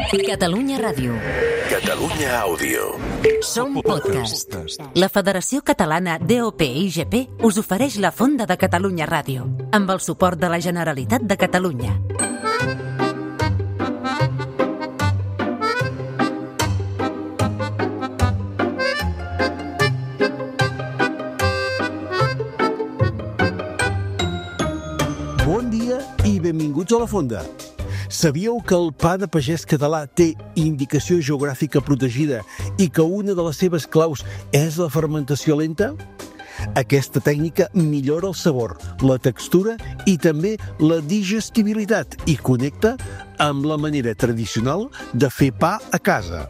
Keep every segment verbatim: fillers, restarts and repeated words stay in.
Catalunya Ràdio. Catalunya Àudio. Som podcast. La Federació Catalana D O P I G P us ofereix la Fonda de Catalunya Ràdio, amb el suport de la Generalitat de Catalunya. Bon dia i benvinguts a la Fonda. Sabíeu que el pa de pagès català té indicació geogràfica protegida i que una de les seves claus és la fermentació lenta? Aquesta tècnica millora el sabor, la textura i també la digestibilitat i connecta amb la manera tradicional de fer pa a casa.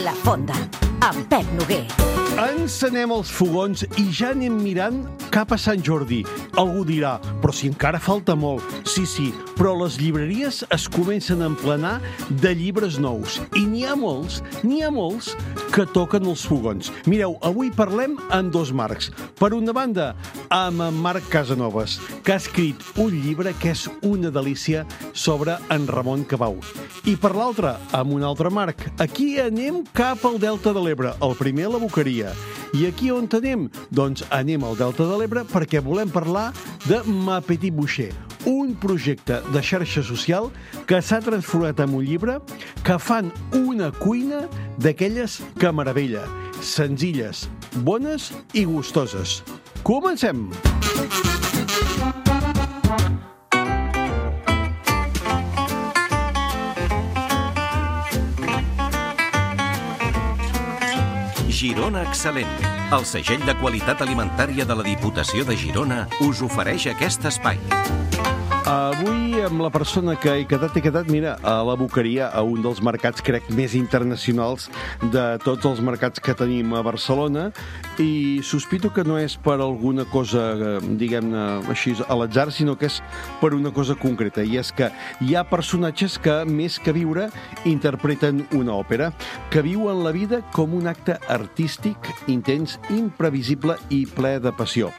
La Fonda, amb Pep Noguer. Encenem els fogons i ja anem mirant cap a Sant Jordi. Algú dirà, però si encara falta molt. Sí, sí, però les llibreries es comencen a emplenar de llibres nous. I n'hi ha molts, n'hi ha molts que toquen els fogons. Mireu, avui parlem amb dos Marcs. Per una banda, amb en Marc Casanovas, que ha escrit un llibre que és una delícia sobre en Ramon Cabau. I per l'altra, amb un altre Marc. Aquí anem cap al Delta de l'Ebre, el primer a la Boqueria. I aquí on anem? Doncs anem al Delta de l'Ebre perquè volem parlar de Ma Petit Boucher, un projecte de xarxa social que s'ha transformat en un llibre que fan una cuina d'aquelles que meravella, senzilles, bones i gustoses. Comencem! Girona Excel·lent. El segell de qualitat alimentària de la Diputació de Girona us ofereix aquest espai. Avui amb la persona que he quedat, he quedat, mira, a la Boqueria, a un dels mercats, crec, més internacionals de tots els mercats que tenim a Barcelona, i sospito que no és per alguna cosa, diguem-ne, així, a l'atzar, sinó que és per una cosa concreta, i és que hi ha personatges que, més que viure, interpreten una òpera, que viuen la vida com un acte artístic, intens, imprevisible i ple de passió.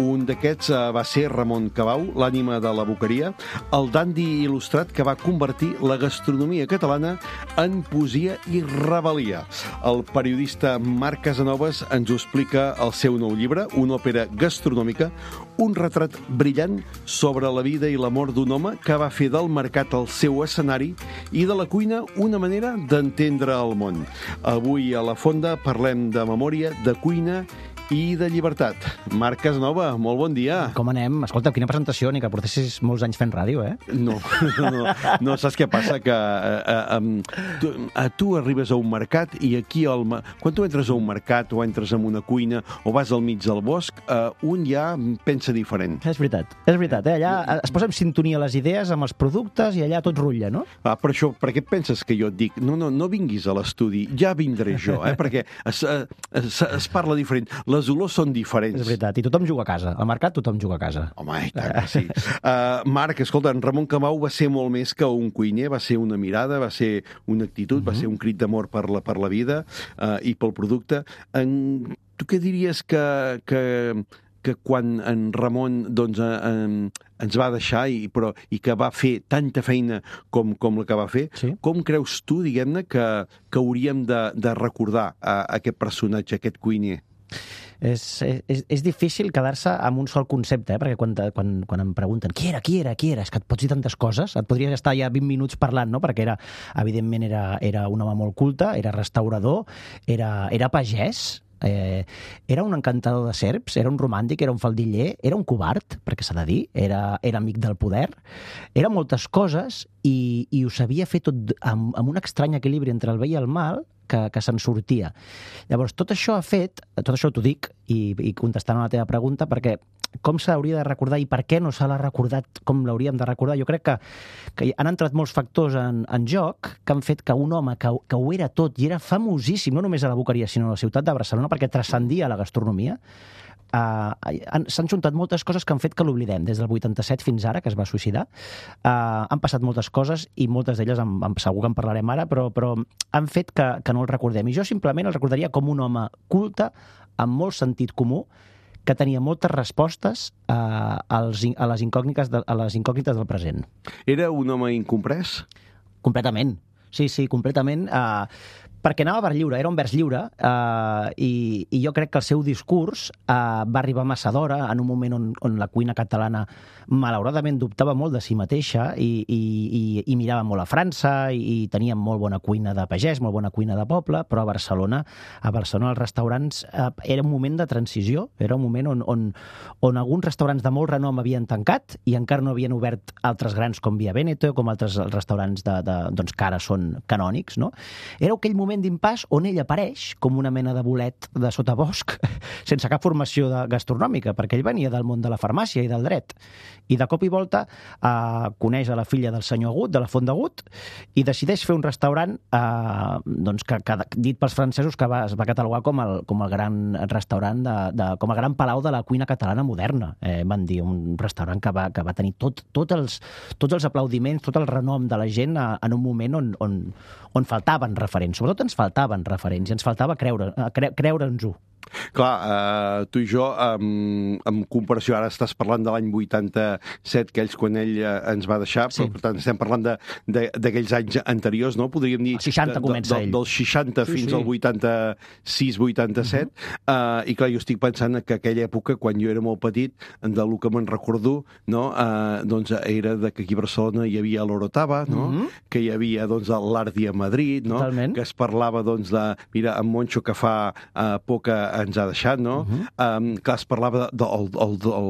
Un d'aquests va ser Ramon Cabau, l'ànima de la Boqueria, el dandi il·lustrat que va convertir la gastronomia catalana en poesia i rebel·lia. El periodista Marc Casanovas ens ho explica al seu nou llibre, una òpera gastronòmica, un retrat brillant sobre la vida i l'amor d'un home que va fer del mercat el seu escenari i de la cuina una manera d'entendre el món. Avui a la Fonda parlem de memòria, de cuina i de llibertat. Marc Casanova, molt bon dia. Com anem? Escolta, quina presentació, ni que portessis molts anys fent ràdio, eh? No, no, no, no saps què passa? Que eh, eh, tu, eh, tu arribes a un mercat i aquí, al, quan tu entres a un mercat o entres en una cuina o vas al mig del bosc, eh, un ja pensa diferent. És veritat, és veritat, eh? Allà es posa en sintonia les idees amb els productes i allà tot rutlla, no? Ah, per això, per què penses que jo et dic no, no, no vinguis a l'estudi, ja vindré jo, eh? Perquè es, es, es parla diferent. Les olors són diferents. És veritat, i tothom juga a casa. Al mercat tothom juga a casa. Home, i tant que sí. Uh, Marc, escolta, en Ramon Cabau va ser molt més que un cuiner, va ser una mirada, va ser una actitud, uh-huh. va ser un crit d'amor per la, per la vida uh, i pel producte. En, tu què diries que, que, que quan en Ramon doncs, en, ens va deixar i, però, i que va fer tanta feina com, com la que va fer, sí. Com creus tu, diguem-ne, que, que hauríem de, de recordar a, a aquest personatge, a aquest cuiner? És, és, és difícil quedar-se amb un sol concepte, eh? Perquè quan, quan, quan em pregunten qui era, qui era, qui era, és que et pots dir tantes coses, et podries estar ja vint minuts parlant, no? Perquè era, evidentment era, era un home molt culte, era restaurador, era, era pagès, Eh, era un encantador de serps, era un romàntic, era un faldiller, era un covard, perquè s'ha de dir, era, era amic del poder, era moltes coses i, i ho sabia fer tot amb, amb un estrany equilibri entre el bé i el mal que, que se'n sortia. Llavors, tot això ha fet, tot això t'ho dic, i, i contestant a la teva pregunta, perquè com s'hauria de recordar i per què no se l'ha recordat com l'hauríem de recordar? Jo crec que, que han entrat molts factors en, en joc que han fet que un home que, que ho era tot i era famosíssim, no només a la Boqueria, sinó a la ciutat de Barcelona, perquè transcendia la gastronomia, Uh, s'han juntat moltes coses que han fet que l'oblidem. Des del vuitanta-set fins ara, que es va suïcidar, uh, han passat moltes coses i moltes d'elles en, en, segur que en parlarem ara, però, però han fet que, que no el recordem. I jo simplement el recordaria com un home culte, amb molt sentit comú, que tenia moltes respostes a, als, a, les incògnites de, a les incògnites del present. Era un home incomprès? Completament. Sí, sí, completament. Uh, perquè anava per lliure, era un vers lliure, uh, i, i jo crec que el seu discurs uh, va arribar massa d'hora, en un moment on, on la cuina catalana malauradament dubtava molt de si mateixa i, i, i, i mirava molt a França i, i tenia molt bona cuina de pagès, molt bona cuina de poble, però a Barcelona, a Barcelona els restaurants uh, era un moment de transició, era un moment on, on, on alguns restaurants de molt renom havien tancat i encara no havien obert altres grans com Via Veneto, com altres restaurants de, de, doncs, que ara són canònics, no? Era aquell moment d'impàs on ell apareix com una mena de bolet de sotabosc sense cap formació de gastronòmica, perquè ell venia del món de la farmàcia i del dret. I de cop i volta eh, coneix a la filla del senyor Agut, de la Font d'Agut, i decideix fer un restaurant eh, doncs que, que, dit pels francesos, que va, es va catalogar com el, com el gran restaurant, de, de, com el gran palau de la cuina catalana moderna. Eh, van dir, un restaurant que va, que va tenir tot, tot els, tots els aplaudiments, tot el renom de la gent a, en un moment on, on, on faltaven referents. Sobretot ens faltaven referents i ens faltava creure, cre, creure'ns-ho. Clar, eh, tu i jo, en, en comparació, ara estàs parlant de l'any vuitanta-set, aquells quan ell eh, ens va deixar, sí. Però per tant estem parlant d'aquells anys anteriors, no? Podríem dir... El seixanta de, comença de, ell. Dels seixanta sí, fins sí. al vuitanta-sis vuitanta-set, uh-huh. eh, i clar, jo estic pensant que aquella època, quan jo era molt petit, del que me'n recordo, no? eh, doncs era de que aquí a Barcelona hi havia l'Orotava, no? Uh-huh. Que hi havia doncs, l'Ardi a Madrid, no? Totalment. Que es parlava doncs, de... Mira, en Moncho, que fa eh, poc ens ha deixat, no? Uh-huh. um, clar, es parlava de, de, el, el, el,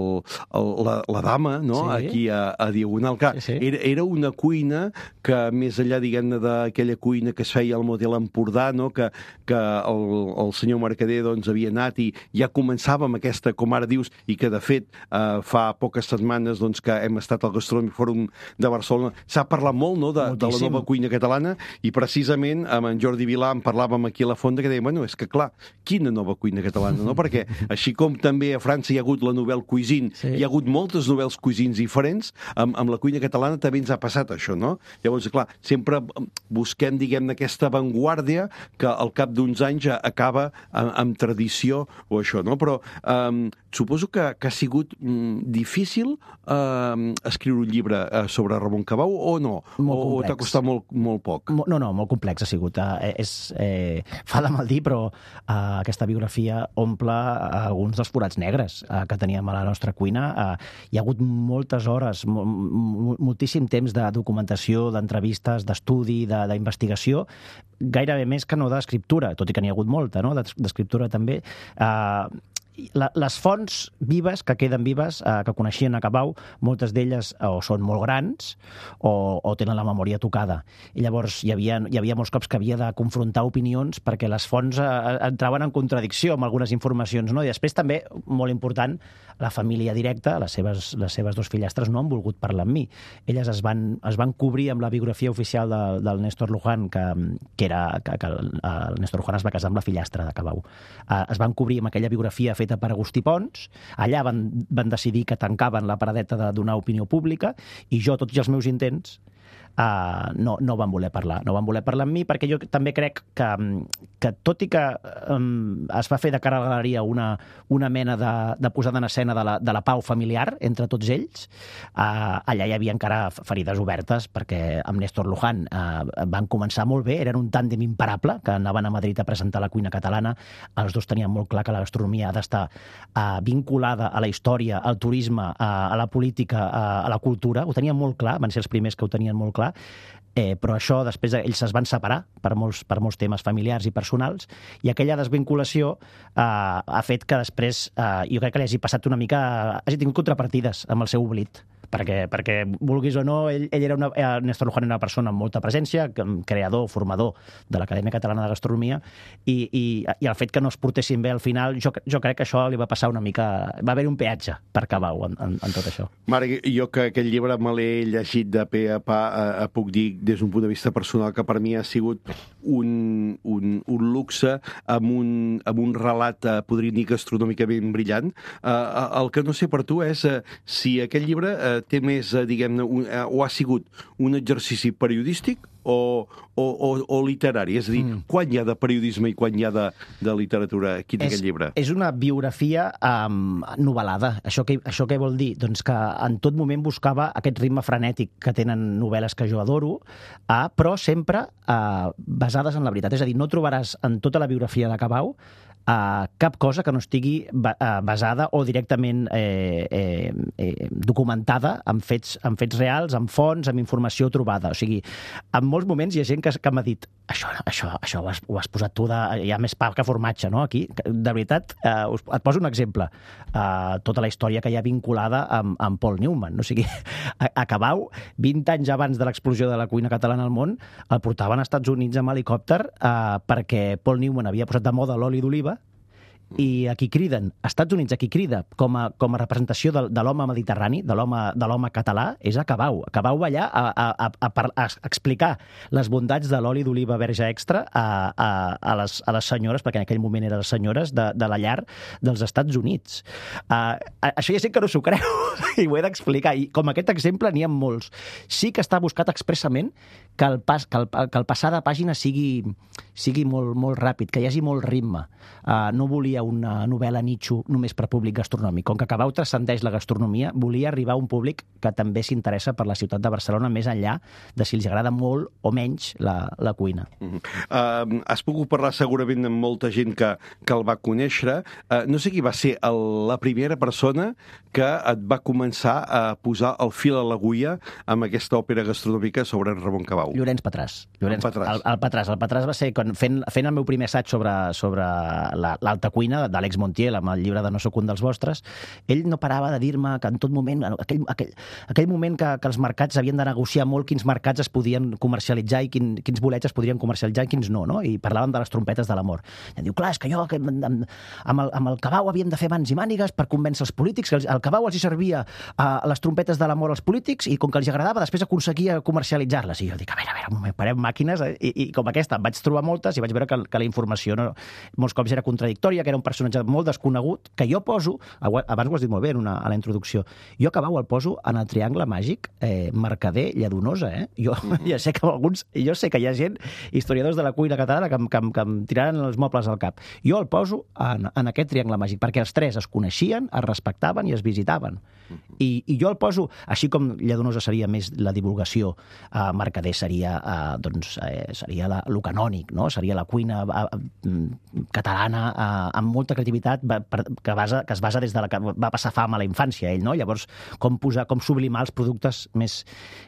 el, la, la dama, no? Sí. Aquí a, a Diagonal. Clar, sí, sí. Era, era una cuina que, més enllà, diguem-ne, d'aquella cuina que es feia al model Empordà, no? Que, que el, el senyor Mercader doncs, havia anat i ja començava amb aquesta, com ara dius, i que, de fet, eh, fa poques setmanes doncs, que hem estat al Gastronòmic Fòrum de Barcelona. S'ha parlat molt, no?, de, de la nova cuina catalana, i precisament amb en Jordi Vilà en parlàvem aquí a la Fonda, que deia, bueno, és que clar, quina nova cuina catalana, no? Perquè així com també a França hi ha hagut la Nouvelle Cuisine, sí. Hi ha hagut moltes nouvelles cuisines diferents, amb, amb la cuina catalana també ens ha passat això, no? Llavors, clar, sempre busquem, diguem-ne, aquesta avantguàrdia que al cap d'uns anys acaba amb, amb tradició o això, no? Però um, suposo que, que ha sigut um, difícil um, escriure un llibre uh, sobre Ramon Cabau o no? Molt o o t'ha costat molt, molt poc? No, no, molt complex ha sigut. Uh, és, eh, fa de mal dir, però uh, aquesta biografia omple alguns dels forats negres eh, que teníem a la nostra cuina. Eh, hi ha hagut moltes hores, moltíssim temps de documentació, d'entrevistes, d'estudi, d'investigació, gairebé més que no d'escriptura, tot i que n'hi ha hagut molta, no?, d'escriptura també. Eh, La, les fonts vives, que queden vives, eh, que coneixien a Cabau, moltes d'elles o són molt grans o, o tenen la memòria tocada. I llavors hi havia, hi havia molts cops que havia de confrontar opinions perquè les fonts eh, entraven en contradicció amb algunes informacions, no? I després també, molt important, la família directa, les seves, les seves dos fillastres no han volgut parlar amb mi. Elles es van, es van cobrir amb la biografia oficial de, del Néstor Luján, que, que era que, que el, el Néstor Luján es va casar amb la fillastra de Cabau. Eh, es van cobrir amb aquella biografia feta per Agustí Pons. Allà van, van decidir que tancaven la paradeta de donar opinió pública i jo, tots els meus intents, Uh, no, no van voler parlar. No van voler parlar amb mi perquè jo també crec que, que tot i que um, es va fer de cara a la galeria una, una mena de, de posada en escena de la, de la pau familiar entre tots ells, uh, allà hi havia encara ferides obertes perquè amb Néstor Luján uh, van començar molt bé, eren un tàndem imparable, que anaven a Madrid a presentar la cuina catalana, els dos tenien molt clar que la gastronomia ha d'estar uh, vinculada a la història, al turisme, uh, a la política, uh, a la cultura, ho tenien molt clar, van ser els primers que ho tenien molt clar. Eh, però això després ells es van separar per molts, per molts temes familiars i personals i aquella desvinculació eh, ha fet que després eh, jo crec que li hagi passat una mica, hagi tingut contrapartides amb el seu oblit. Perquè, perquè vulguis o no, ell, ell era una, Néstor Luján era una persona amb molta presència, creador, formador de l'Acadèmia Catalana de Gastronomia, i, i, i el fet que no es portessin bé al final, jo, jo crec que això li va passar una mica... Va haver un peatge per Cabau en, en, en tot això. Marc, jo que aquest llibre me l'he llegit de pe a pa, eh, puc dir des d'un punt de vista personal que per mi ha sigut un, un, un luxe amb un, amb un relat, eh, podria dir, gastronòmicament brillant. Eh, el que no sé per tu és eh, si aquest llibre eh, té més, diguem-ne, o ha sigut un exercici periodístic o, o, o, o literari? És a dir, mm. quan hi ha de periodisme i quan hi ha de, de literatura aquí en aquest llibre? És una biografia um, novel·lada. Això què, això què vol dir? Doncs que en tot moment buscava aquest ritme frenètic que tenen novel·les que jo adoro, uh, però sempre uh, basades en la veritat. És a dir, no trobaràs en tota la biografia de Cabau Uh, cap cosa que no estigui ba uh, basada o directament eh, eh, eh, documentada amb fets, amb fets reals, amb fonts, amb informació trobada. O sigui, en molts moments hi ha gent que, que m'ha dit això, això, això ho, has, ho has posat tu de... Hi ha més pa que formatge, no?, aquí. De veritat, uh, us, et poso un exemple. Uh, tota la història que hi ha vinculada amb, amb Paul Newman. O sigui, a, a Cabau, vint anys abans de l'explosió de la cuina catalana al món, el portaven als Estats Units amb helicòpter uh, perquè Paul Newman havia posat de moda l'oli d'oliva, i a qui criden, als Estats Units, a qui crida com a, com a representació de, de l'home mediterrani, de l'home català, és a Cabau. Cabau va allà a, a, a, a, a explicar les bondats de l'oli d'oliva verge extra a, a, a, les, a les senyores, perquè en aquell moment eren les senyores de, de la llar dels Estats Units. Uh, això hi ha gent que no s'ho creu, i ho he d'explicar. I com aquest exemple n'hi ha molts. Sí que està buscat expressament que el, pas, que el, que el passar de pàgina sigui, sigui molt, molt ràpid, que hi hagi molt ritme. Uh, no volia una novel·la nitxo només per públic gastronòmic. Com que Cabau transcendeix la gastronomia, volia arribar a un públic que també s'interessa per la ciutat de Barcelona, més enllà de si els agrada molt o menys la, la cuina. Uh-huh. uh, has pogut parlar segurament amb molta gent que, que el va conèixer. Uh, no sé qui va ser el, la primera persona que et va començar a posar el fil a l'agulla amb aquesta òpera gastronòmica sobre en Ramon Cabau. Llorenç Petràs. Llorenç, el Petràs. El, el Petràs. El Petràs va ser quan, fent, fent el meu primer assaig sobre, sobre l'alta cuina d'Àlex Montiel, amb el llibre de No soc un dels vostres. Ell no parava de dir-me que en tot moment, aquell, aquell, aquell moment que, que els mercats havien de negociar molt quins mercats es podien comercialitzar i quin, quins bolets es podien comercialitzar i quins no, no? I parlaven de les trompetes de l'amor. I em diu, clar, és que jo que, amb, amb, el, amb el Cabau havíem de fer mans i mànigues per convèncer els polítics, que el, el Cabau els hi servia a les trompetes de l'amor als polítics i com que els agradava, després aconseguia comercialitzar-les. I jo dic, a veure, a veure, un moment, parem màquines, eh? I, i com aquesta em vaig trobar moltes i vaig veure que, que la informació no, molts cops era contradictòria, que era un personatge molt desconegut, que jo poso, abans ho has dit molt bé en una, a la introducció, jo a Cabau el poso en el triangle màgic eh, Mercader Lladonosa, eh? Jo mm-hmm. ja sé que alguns, jo sé que hi ha gent, historiadors de la cuina catalana, que, que, que em tiraran els mobles al cap. Jo el poso en, en aquest triangle màgic, perquè els tres es coneixien, es respectaven i es visitaven. Mm-hmm. I, I jo el poso, així com Lladonosa seria més la divulgació, eh, Mercader seria, eh, doncs, eh, seria la, lo canònic, no? Seria la cuina eh, catalana eh, amb molta creativitat que, basa, que es basa des de la que va passar fam a la infància, ell, no? Llavors, com posar, com sublimar els productes més,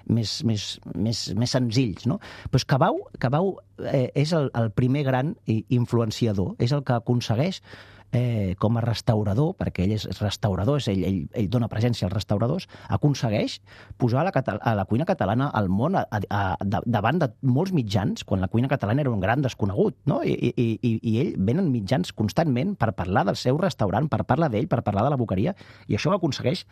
més, més, més, més senzills, no? Pues Cabau, Cabau eh, és el, el primer gran influenciador, és el que aconsegueix eh, com a restaurador, perquè ell és restaurador, és ell, ell, ell dona presència als restauradors, aconsegueix posar la, a la cuina catalana al món a, a, a, davant de molts mitjans, quan la cuina catalana era un gran desconegut, no? I, i, i, i ell venen mitjans constantment per parlar del seu restaurant, per parlar d'ell, per parlar de la boqueria, i això ho aconsegueix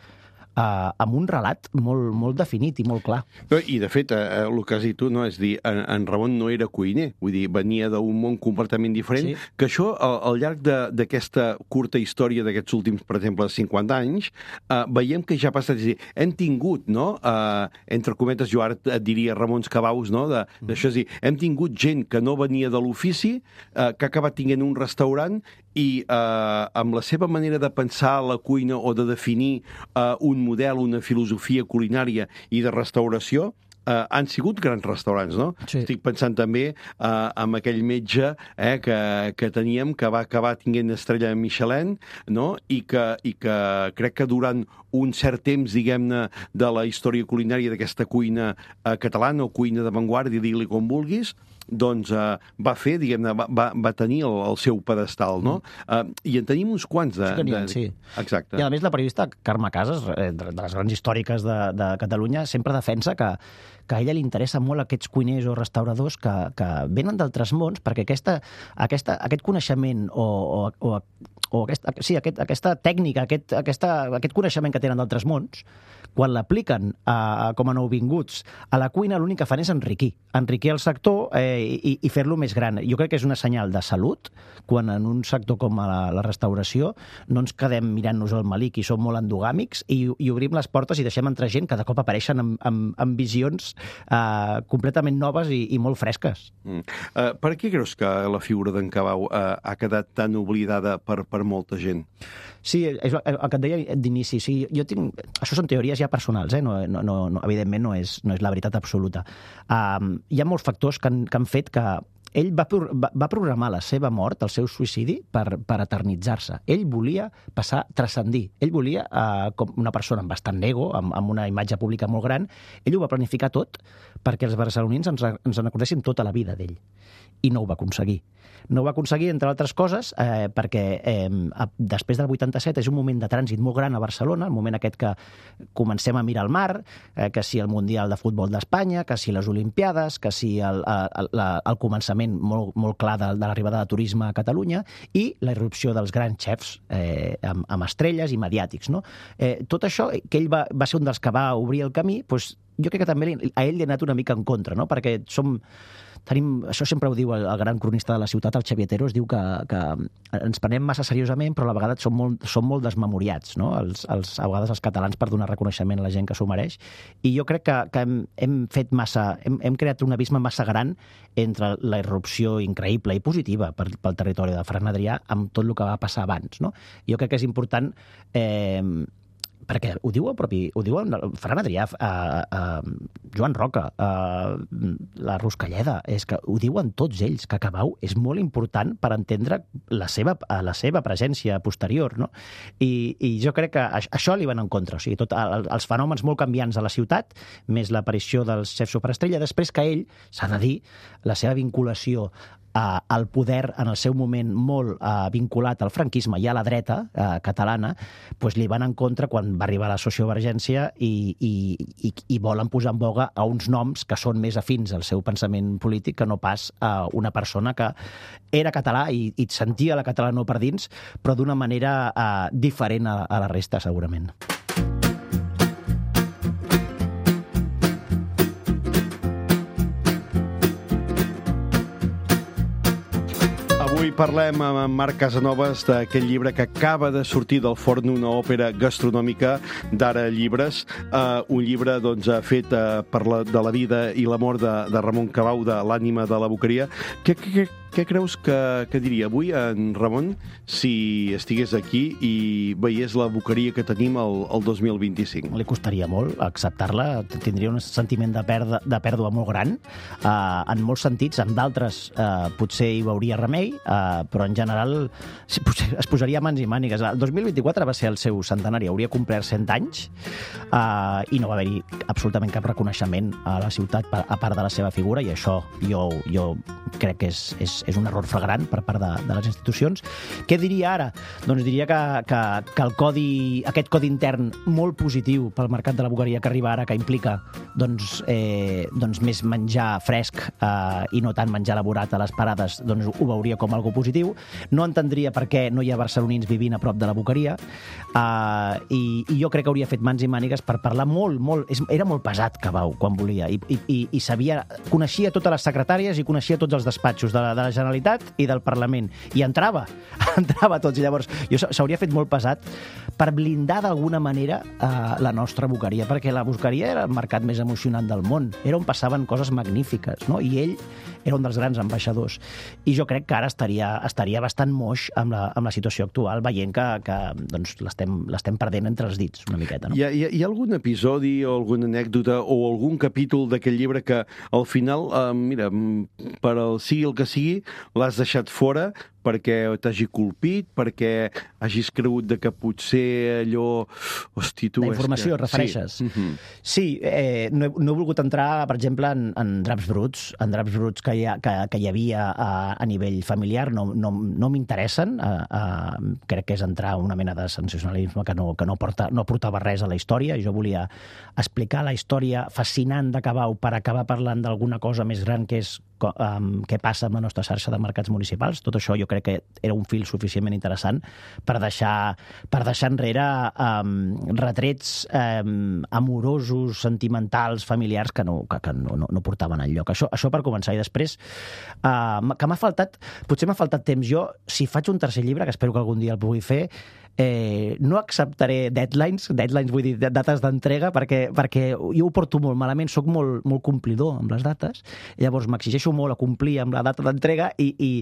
Uh, amb un relat molt, molt definit i molt clar. I, de fet, uh, el que has dit tu, no? És dir, en, en Ramon no era cuiner, vull dir, venia d'un món completament diferent, sí. Que això, al, al llarg d'aquesta curta història d'aquests últims, per exemple, cinquanta anys, uh, veiem que ja ha passat, és dir, hem tingut, no?, uh, entre cometes, jo ara et diria Ramons Cabaus, no?, d'això, mm. És dir, hem tingut gent que no venia de l'ofici, uh, que ha acabat tinguent un restaurant i uh, amb la seva manera de pensar la cuina o de definir uh, un model, una filosofia culinària i de restauració, Uh, han sigut grans restaurants, no? Sí. Estic pensant també uh, en aquell metge eh, que, que teníem, que va acabar tinguent estrella Michelin, no? I que, i que crec que durant un cert temps, diguem-ne, de la història culinària d'aquesta cuina uh, catalana o cuina d'avantguàrdia, digue-li com vulguis, doncs uh, va fer, diguem-ne, va, va, va tenir el, el seu pedestal, no? Uh, I en tenim uns quants de... Sí, tenien, de... sí. Exacte. I a més la periodista Carme Casas, de les grans històriques de, de Catalunya, sempre defensa que que a ella li interessa molt aquests cuiners o restauradors que, que venen d'altres mons, perquè aquesta, aquesta, aquest coneixement o, o, o, o aquesta, sí, aquest, aquesta tècnica, aquest, aquesta, aquest coneixement que tenen d'altres mons, quan l'apliquen com a nouvinguts a la cuina, l'únic que fan és enriquir. Enriquir el sector eh, i, i fer-lo més gran. Jo crec que és una senyal de salut quan en un sector com la, la restauració no ens quedem mirant-nos el malic i som molt endogàmics i, i obrim les portes i deixem entrar gent que de cop apareixen amb, amb, amb visions sensacions uh, completament noves i, i molt fresques. Mm. Uh, per què creus que la figura d'en Cabau uh, ha quedat tan oblidada per, per molta gent? Sí, és el, el que et deia d'inici. Sí, jo tinc... Això són teories ja personals, eh? no, no, no, evidentment no és, no és la veritat absoluta. Um, hi ha molts factors que han, que han fet que ell va, va, va programar la seva mort, el seu suïcidi, per, per eternitzar-se. Ell volia passar, transcendir. Ell volia, eh, com una persona amb bastant ego, amb, amb una imatge pública molt gran, ell ho va planificar tot perquè els barcelonins ens, ens en recordessin tota la vida d'ell. I no ho va aconseguir. No ho va aconseguir, entre altres coses, eh, perquè eh, després del vuitanta-set és un moment de trànsit molt gran a Barcelona, el moment aquest que comencem a mirar el mar, eh, que si el Mundial de Futbol d'Espanya, que si les Olimpiades, que si el, el, el, el començament molt, molt clar de, de l'arribada de turisme a Catalunya i la irrupció dels grans xefs eh, amb, amb estrelles i mediàtics. No? Eh, tot això, que ell va, va ser un dels que va obrir el camí, doncs, jo crec que també a ell li ha anat una mica en contra, no? Perquè som... Tenim, això sempre ho diu el, el gran cronista de la ciutat, el Xavier Teros, diu que, que ens prenem massa seriosament, però a la vegada som molt, som molt desmemoriats, no? Els, els, a vegades els catalans per donar reconeixement a la gent que s'ho mereix. I jo crec que, que hem, hem fet massa, hem, hem creat un abisme massa gran entre la irrupció increïble i positiva per, pel territori de Ferran Adrià amb tot el que va passar abans, no? Jo crec que és important... Eh, perquè ho diu el propi, ho diu el Ferran Adrià, a, a Joan Roca, a la Ruscalleda, és que ho diuen tots ells, que Cabau és molt important per entendre la seva, la seva presència posterior, no? I, i jo crec que això li van en contra, o sigui, tot els fenòmens molt canviants de la ciutat, més l'aparició dels xefs superestrella, després que ell, s'ha de dir, la seva vinculació al poder en el seu moment molt uh, vinculat al franquisme i a la dreta uh, catalana, pues li van en contra quan va arribar la sociovergència i, i, i, i volen posar en boga a uns noms que són més afins al seu pensament polític que no pas a una persona que era català i, i sentia la català no per dins, però d'una manera uh, diferent a, a la resta, segurament. Avui parlem amb Marc Casanovas d'aquest llibre que acaba de sortir del forn, una òpera gastronòmica d'Ara Llibres, uh, un llibre doncs, fet uh, per la, de la vida i la mort de, de Ramon Cabau, de l'ànima de la Boqueria. Què, què, què creus que, que diria avui en Ramon si estigués aquí i veiés la Boqueria que tenim el, el dos mil vint-i-cinc? Li costaria molt acceptar-la, tindria un sentiment de pèrdua, de pèrdua molt gran, uh, en molts sentits, en d'altres uh, potser hi veuria remei, uh, però en general es posaria mans i mànigues. El dos mil vint-i-quatre va ser el seu centenari, hauria complert cent anys uh, i no va haver-hi absolutament cap reconeixement a la ciutat a part de la seva figura, i això jo, jo crec que és, és, és un error flagrant per part de, de les institucions. Què diria ara? Doncs diria que, que, que el codi, aquest codi intern molt positiu pel mercat de la Boqueria que arriba ara, que implica doncs, eh, doncs més menjar fresc eh, i no tant menjar elaborat a les parades, doncs ho veuria com algo positiu. No entendria per què no hi ha barcelonins vivint a prop de la Boqueria, eh, i, i jo crec que hauria fet mans i mànigues per parlar molt, molt... Era molt pesat, Cabau, quan volia, i, i, i sabia, coneixia totes les secretàries i coneixia tots els despatxos de la, de la Generalitat i del Parlament, i entrava, entrava tots, i llavors jo s'hauria fet molt pesat per blindar d'alguna manera eh, la nostra Boqueria, perquè la Boqueria era el mercat més emocionant del món, era on passaven coses magnífiques, no? I ell era un dels grans ambaixadors, i jo crec que ara estaria, estaria bastant moix amb la, amb la situació actual, veient que, que doncs, l'estem perdent entre els dits una miqueta, no? Hi ha, hi ha, hi ha algun episodi o alguna anècdota o algun capítol d'aquest llibre que al final, eh, mira, per al sigui el que sigui, l'has deixat fora perquè t'hagi colpit, perquè hagis cregut de que potser allò... Hosti, tu... La informació, que... refereixes? Sí, uh-huh. Sí, eh, no, he, no he volgut entrar, per exemple, en, en draps bruts, en draps bruts que hi, ha, que, que hi havia a, a nivell familiar, no, no, no m'interessen. A, a, crec que és entrar una mena de sensacionalisme que no, que no, porta, no portava res a la història. Jo volia explicar la història fascinant de Cabau per acabar parlant d'alguna cosa més gran que és um, què passa amb la nostra xarxa de mercats municipals. Tot això jo crec que era un fil suficientment interessant per deixar, per deixar enrere um, retrets um, amorosos, sentimentals, familiars que no, que, que no, no, no portaven enlloc. Això, això per començar. I després, uh, que m'ha faltat, potser m'ha faltat temps. Jo, si faig un tercer llibre, que espero que algun dia el pugui fer, eh, no acceptaré deadlines, deadlines vull dir dates d'entrega, perquè, perquè jo ho porto molt malament, sóc molt, molt complidor amb les dates, llavors m'exigeixo molt a complir amb la data d'entrega i, i,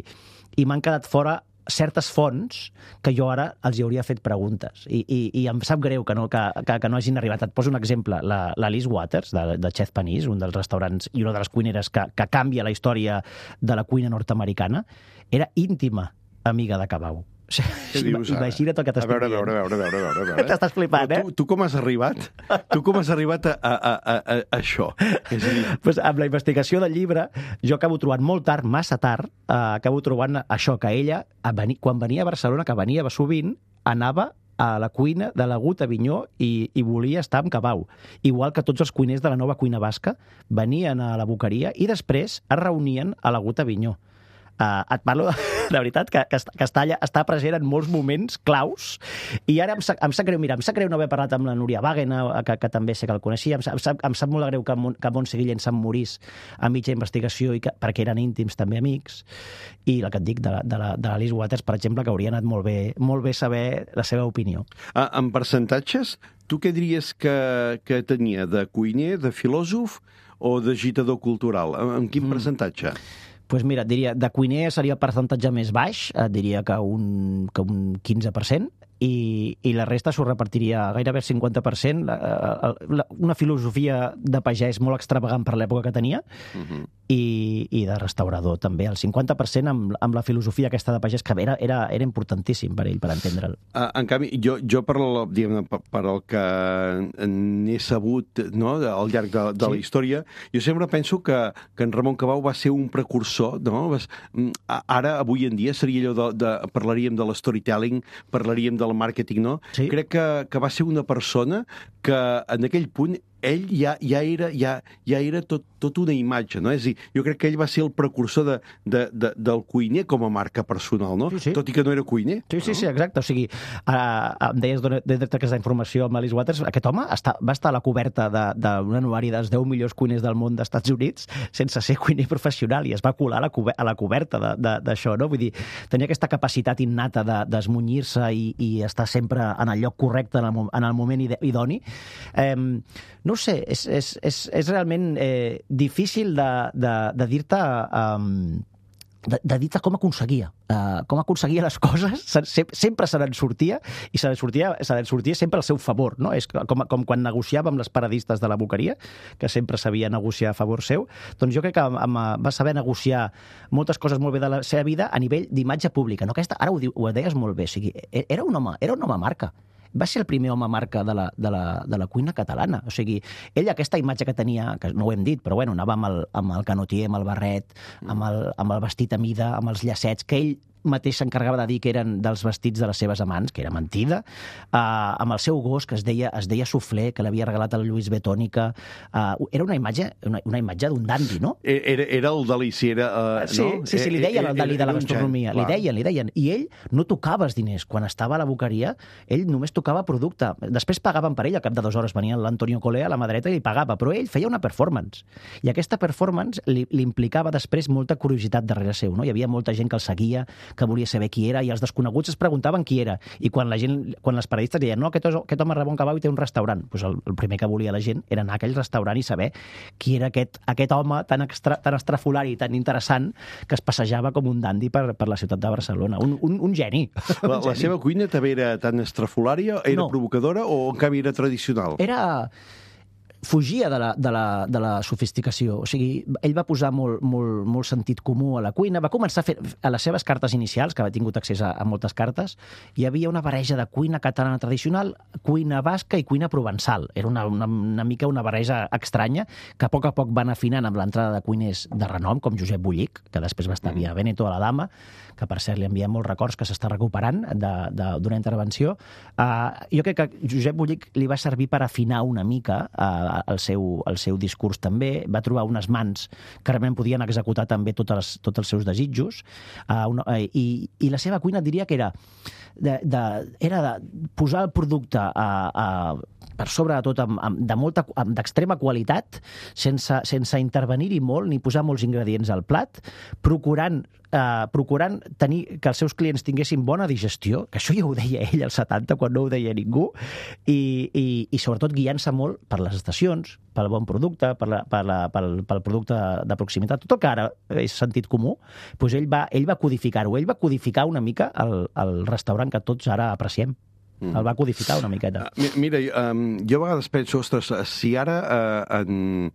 i m'han quedat fora certes fonts que jo ara els hi hauria fet preguntes i, i, i em sap greu que no, que, que, que no hagin arribat. Et poso un exemple, la, la Liz Waters de, de Chef Panisse, un dels restaurants i una de les cuineres que, que canvia la història de la cuina nord-americana, era íntima amiga de Cabau. Imagina't el que t'estic dient. A veure, a veure, a veure, a veure, a veure. T'estàs flipant, eh? Tu, tu com has arribat? Tu com has arribat a, a, a, a, a això? És a dir... pues amb la investigació del llibre, jo acabo trobant molt tard, massa tard, eh, acabo trobant això, que ella, a venir, quan venia a Barcelona, que venia sovint, anava a la cuina de l'Agut Avinyó i, i volia estar amb Cabau. Igual que tots els cuiners de la nova cuina basca venien a la Boqueria i després es reunien a l'Agut Avinyó. Uh, et parlo de, de veritat que, que, que està, allà, està present en molts moments claus i ara em sap, em sap greu, mira, em sap greu no haver parlat amb la Núria Wagen, que, que també sé que el coneixia, em sap, em sap, em sap molt greu que, que Montse Guillén se'n morís a mitja investigació i que, perquè eren íntims també amics, i el que et dic de, de, la, de la Liz Waters, per exemple, que hauria anat molt bé, molt bé saber la seva opinió. Ah, en percentatges, tu què diries que, que tenia de cuiner, de filòsof o d'agitador cultural? En quin mm. percentatge? Pues mira, et diria, de cuiner seria el percentatge més baix, et diria que un, que un quinze per cent, i, i la resta s'ho repartiria gairebé el cinquanta per cent, la, la, una filosofia de pagès molt extravagant per l'època que tenia, uh-huh. i, i de restaurador també, el cinquanta per cent amb, amb la filosofia aquesta de pagès, que era, era, era importantíssim per ell, per entendre'l. Uh, en canvi, jo, jo per, el, diguem, per, per el que n'he sabut, no?, al llarg de, de sí. la història, jo sempre penso que, que en Ramon Cabau va ser un precursor, no? Ara, avui en dia, seria allò de, de parlaríem de l'storytelling, parlaríem de el màrqueting, no? Sí. Crec que, que va ser una persona que en aquell punt ell ja, ja era, ja, ja era tot, tot una imatge, no? És a dir, jo crec que ell va ser el precursor de, de, de, del cuiner com a marca personal, no? Sí, sí. Tot i que no era cuiner. Sí, sí, no? sí, exacte. O sigui, uh, em deies d'aquesta informació amb Alice Waters, aquest home està, va estar a la coberta d'un anuari dels deu millors cuiners del món d'Estats Units sense ser cuiner professional i es va colar a la, cober a la coberta d'això, no? Vull dir, tenia aquesta capacitat innata d'esmunyir-se de, i, i estar sempre en el lloc correcte, en el, en el moment idoni. Eh, no ho sé, és, és, és, és realment eh, difícil de, de, de dir-te um, de, de dir-te com aconseguia uh, com aconseguia les coses, se, sempre se n'en sortia i se n'en sortia, se n'en sortia sempre al seu favor, no? És com, com quan negociava amb les paradistes de la Boqueria, que sempre sabia negociar a favor seu, doncs jo crec que amb, va saber negociar moltes coses molt bé de la seva vida a nivell d'imatge pública, no? Aquesta, ara ho, diu, ho deies molt bé, o sigui, era un home, era un home marca. Va ser el primer home marca de la, de la, de la cuina catalana. O sigui, ell aquesta imatge que tenia, que no ho hem dit, però bueno, anava amb el, amb el canotier, amb el barret, amb el, amb el vestit a mida, amb els llacets, que ell mateix s'encarregava de dir que eren dels vestits de les seves amants, que era mentida, uh, amb el seu gos, que es deia, es deia Soufflé, que l'havia regalat al Lluís Betònica. Uh, era una imatge una, una imatge d'un dandi, no? Era, era el Dalí, si era... Uh, sí, no? sí, sí, li deien el Dalí de la gastronomia. Li deien, li deien. I ell no tocava els diners. Quan estava a la Boqueria, ell només tocava producte. Després pagaven per ell, al cap de dues hores venia l'Antonio Colea a la mà dreta i li pagava, però ell feia una performance. I aquesta performance li, li implicava després molta curiositat darrere seu, no? Hi havia molta gent que el seguia, que volia saber qui era, i els desconeguts es preguntaven qui era. I quan la gent, quan les periodistes deien no, aquest, aquest home Ramon Cabau té un restaurant, doncs el, el primer que volia la gent era anar a aquell restaurant i saber qui era aquest, aquest home tan, extra, tan estrafolari i tan interessant que es passejava com un dandi per, per la ciutat de Barcelona. Un, un, un geni. La, la seva cuina també era tan estrafolària, era no. provocadora o en canvi era tradicional? Era... fugia de la, de, la, de la sofisticació. O sigui, ell va posar molt, molt, molt sentit comú a la cuina. Va començar a fer, a les seves cartes inicials, que havia tingut accés a, a moltes cartes, hi havia una barreja de cuina catalana tradicional, cuina basca i cuina provençal. Era una, una, una mica una barreja estranya, que a poc a poc van afinant amb l'entrada de cuiners de renom, com Josep Bullic, que després va estar a Via Veneto a la Dama, que per cert li enviem molts records, que s'està recuperant d'una intervenció. Uh, jo crec que Josep Bullic li va servir per afinar una mica uh, el seu, el seu discurs també, va trobar unes mans que realment podien executar també tots els, tots els seus desitjos, uh, una, uh, i, i la seva cuina diria que era de, de, era de posar el producte a, a per sobre de tot, amb, amb, de molta, amb, d'extrema qualitat, sense, sense intervenir-hi molt ni posar molts ingredients al plat, procurant Uh, procurant tenir que els seus clients tinguessin bona digestió, que això ja ho deia ell als setanta, quan no ho deia ningú, i, i, i sobretot guiant-se molt per les estacions, pel bon producte, per la, per la, pel, pel producte de proximitat, tot el que ara és sentit comú, doncs ell va, ell va codificar-ho, ell va codificar una mica el, el restaurant que tots ara apreciem. Mm. El va codificar una miqueta. Uh, mira, um, jo a vegades penso, ostres, si ara uh, en,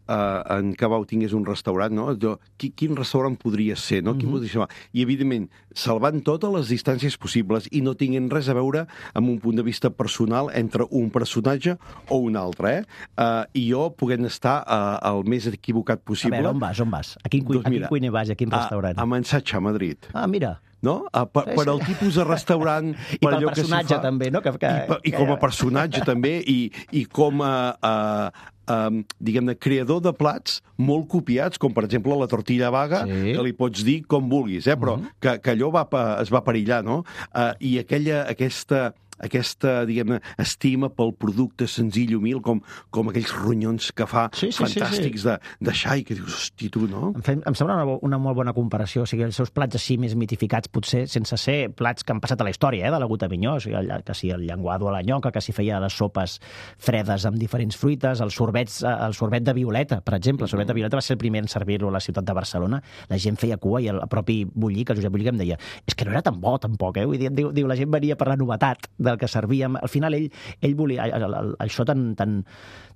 uh, en Cabau tingués un restaurant, no? Jo, qui, quin restaurant podria ser, no? Mm-hmm. Quin podria ser? I, evidentment, salvant totes les distàncies possibles i no tinguin res a veure amb un punt de vista personal entre un personatge o un altre, eh? Uh, I jo puguem estar uh, el més equivocat possible. A veure, on vas, on vas? A quin, doncs, a quin cuiner vas i a quin restaurant? A, a Mansatge, a Madrid. Ah, mira. No? Uh, per, per al tipus de restaurant... I per pel personatge, fa, també, no? Que, que, I, per, I com a personatge, també, i, i com a... Uh, Um, diguem-ne, creador de plats molt copiats, com per exemple la tortilla vaga, sí. Que li pots dir com vulguis, eh? Però uh -huh. que, que allò va, es va perillar, no? Uh, I aquella, aquesta... aquesta, diguem-ne, estima pel producte senzill i humil, com, com aquells ronyons que fa sí, sí, fantàstics sí, sí. De, de xai, que dius, hosti, tu, no? Em, fem, em sembla una, una molt bona comparació. O sigui, els seus plats així més mitificats, potser, sense ser plats que han passat a la història, eh, de la Gota Minyó, o sigui, el, que si el llenguado a la nyoca, que si feia les sopes fredes amb diferents fruites, els sorbets, el sorbet de violeta, per exemple. El sorbet de violeta va ser el primer en servir-lo a la ciutat de Barcelona. La gent feia cua i el propi Bullic, el Josep Bullic, em deia és que no era tan bo, tampoc, eh? Vull dir, diu, diu, la gent venia per la novetat del que servíem. Al final ell, ell volia això tan, tan,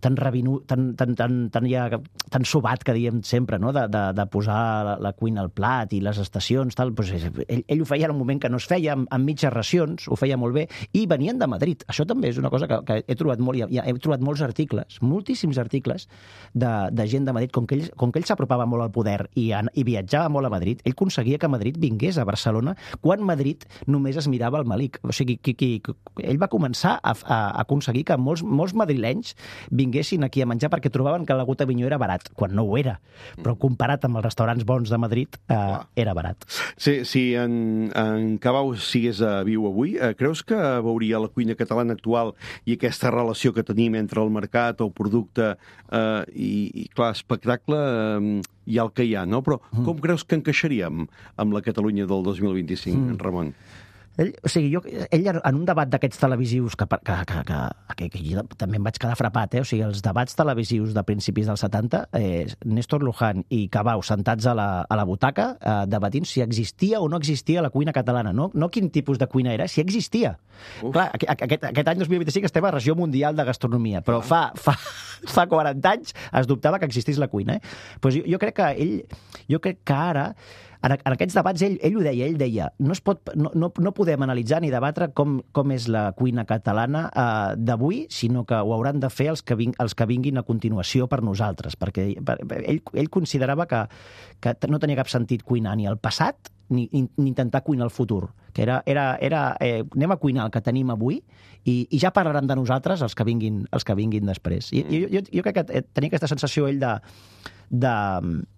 tan rabinu, tan, tan, tan, tan, ja, tan sobat que diem sempre, no? de, de, de posar la, la cuina al plat i les estacions, tal. Pues ell, ell ho feia en un moment que no es feia, amb, amb mitges racions, ho feia molt bé, i venien de Madrid. Això també és una cosa que, que he trobat molt, ja, he trobat molts articles, moltíssims articles de, de gent de Madrid, com que ell, com que ell s'apropava molt al poder i, i viatjava molt a Madrid, ell aconseguia que Madrid vingués a Barcelona quan Madrid només es mirava al Malik. O sigui, qui, qui, ell va començar a, a aconseguir que molts, molts madrilenys vinguessin aquí a menjar perquè trobaven que la Gota Minyó era barat, quan no ho era. Però comparat amb els restaurants bons de Madrid, eh, era barat. Sí, si en, en Cabau sigués a viu avui, eh, creus que veuria la cuina catalana actual i aquesta relació que tenim entre el mercat, el producte eh, i, i, clar, espectacle eh, hi ha el que hi ha, no? Però com creus que encaixaríem amb la Catalunya del dos mil vint-i-cinc, mm. Ramon? Ell, o sigui, jo, ell en un debat d'aquests televisius que, que, que, que, que jo també em vaig quedar frapat, eh? O sigui, els debats televisius de principis dels setanta, eh, Néstor Luján i Cabau sentats a la, a la butaca eh, debatint si existia o no existia la cuina catalana, no, no quin tipus de cuina era, si existia. Uf. Clar, aquest, aquest any dos mil vint-i-cinc estem a regió mundial de gastronomia, però fa, fa, fa quaranta anys es dubtava que existís la cuina. Eh? Pues jo, jo crec que ell, jo crec que ara En, en aquests debats ell, ell ho deia, ell deia no, es pot, no, no, no podem analitzar ni debatre com, com és la cuina catalana eh, d'avui, sinó que ho hauran de fer els que, ving, els que vinguin a continuació per nosaltres, perquè per, ell, ell considerava que, que no tenia cap sentit cuinar ni al passat ni, ni, ni intentar cuinar el futur, que era, era, era eh, anem a cuinar el que tenim avui i, i ja parlaran de nosaltres els que vinguin, els que vinguin després. I, jo, jo, jo crec que tenia aquesta sensació ell de, de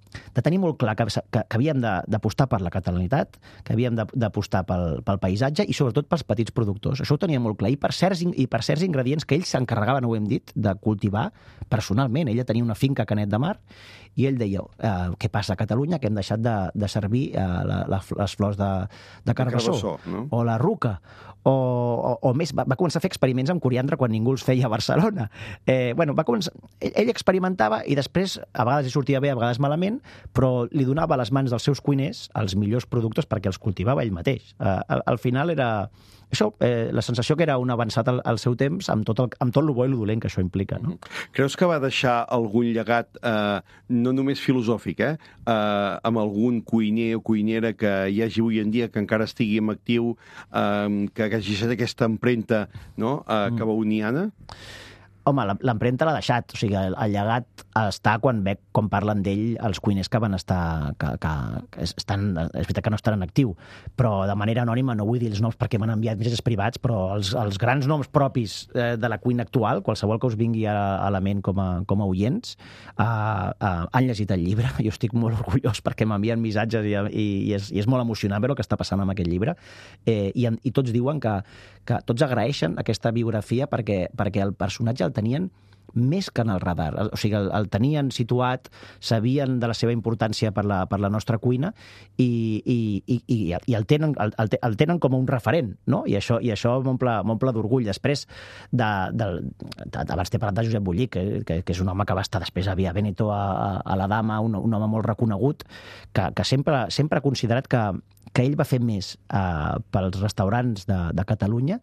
de tenir molt clar que, que, que havíem d'apostar per la catalanitat, que havíem d'apostar pel, pel paisatge i sobretot pels petits productors. Això ho tenia molt clar. I per certs, i per certs ingredients que ells s'encarregaven, ho hem dit, de cultivar personalment. Ella tenia una finca a Canet de Mar i ell deia, eh, què passa a Catalunya, que hem deixat de, de servir eh, la, la, les flors de, de carbassó, de carbassó, no? O la ruca, o, o, o més, va, va començar a fer experiments amb coriandre quan ningú els feia a Barcelona. Eh, bueno, va començar, ell, ell experimentava i després, a vegades hi sortia bé, a vegades malament, però li donava a les mans dels seus cuiners els millors productes perquè els cultivava ell mateix. Eh, al, al final era això, eh, la sensació que era un avançat al, al seu temps amb tot, el, amb tot el bo i el dolent que això implica. No? Creus que va deixar algun llegat, eh, no només filosòfic, eh, eh, amb algun cuiner o cuinera que hi hagi avui en dia, que encara estigui en actiu, eh, que hagi deixat aquesta empremta, no?, eh, cabauniana? Home, l'empremta l'ha deixat. O sigui, el, el llegat està quan veig com parlen d'ell els cuiners que van estar... Que, que, que estan, és veritat que no estan en actiu, però de manera anònima, no vull dir els noms perquè m'han enviat missatges privats, però els, els grans noms propis eh, de la cuina actual, qualsevol que us vingui a, a la ment com a, com a oients, eh, eh, han llegit el llibre. Jo estic molt orgullós perquè m'envien missatges i, i, i, és, i és molt emocionant veure el que està passant amb aquest llibre. Eh, i, I tots diuen que, que tots agraeixen aquesta biografia perquè, perquè el personatge el tenien més que en el radar. O sigui, el, el tenien situat, sabien de la seva importància per la, per la nostra cuina i, i, i, i, i el, tenen, el, el tenen com un referent, no? I això, i això m'omple d'orgull. Després, de, de, de, abans t'he parlat de Josep Bullic, que, que, que és un home que va estar després a Via Veneto, a, a la Dama, un, un home molt reconegut, que, que sempre, sempre ha considerat que, que ell va fer més eh, pels restaurants de, de Catalunya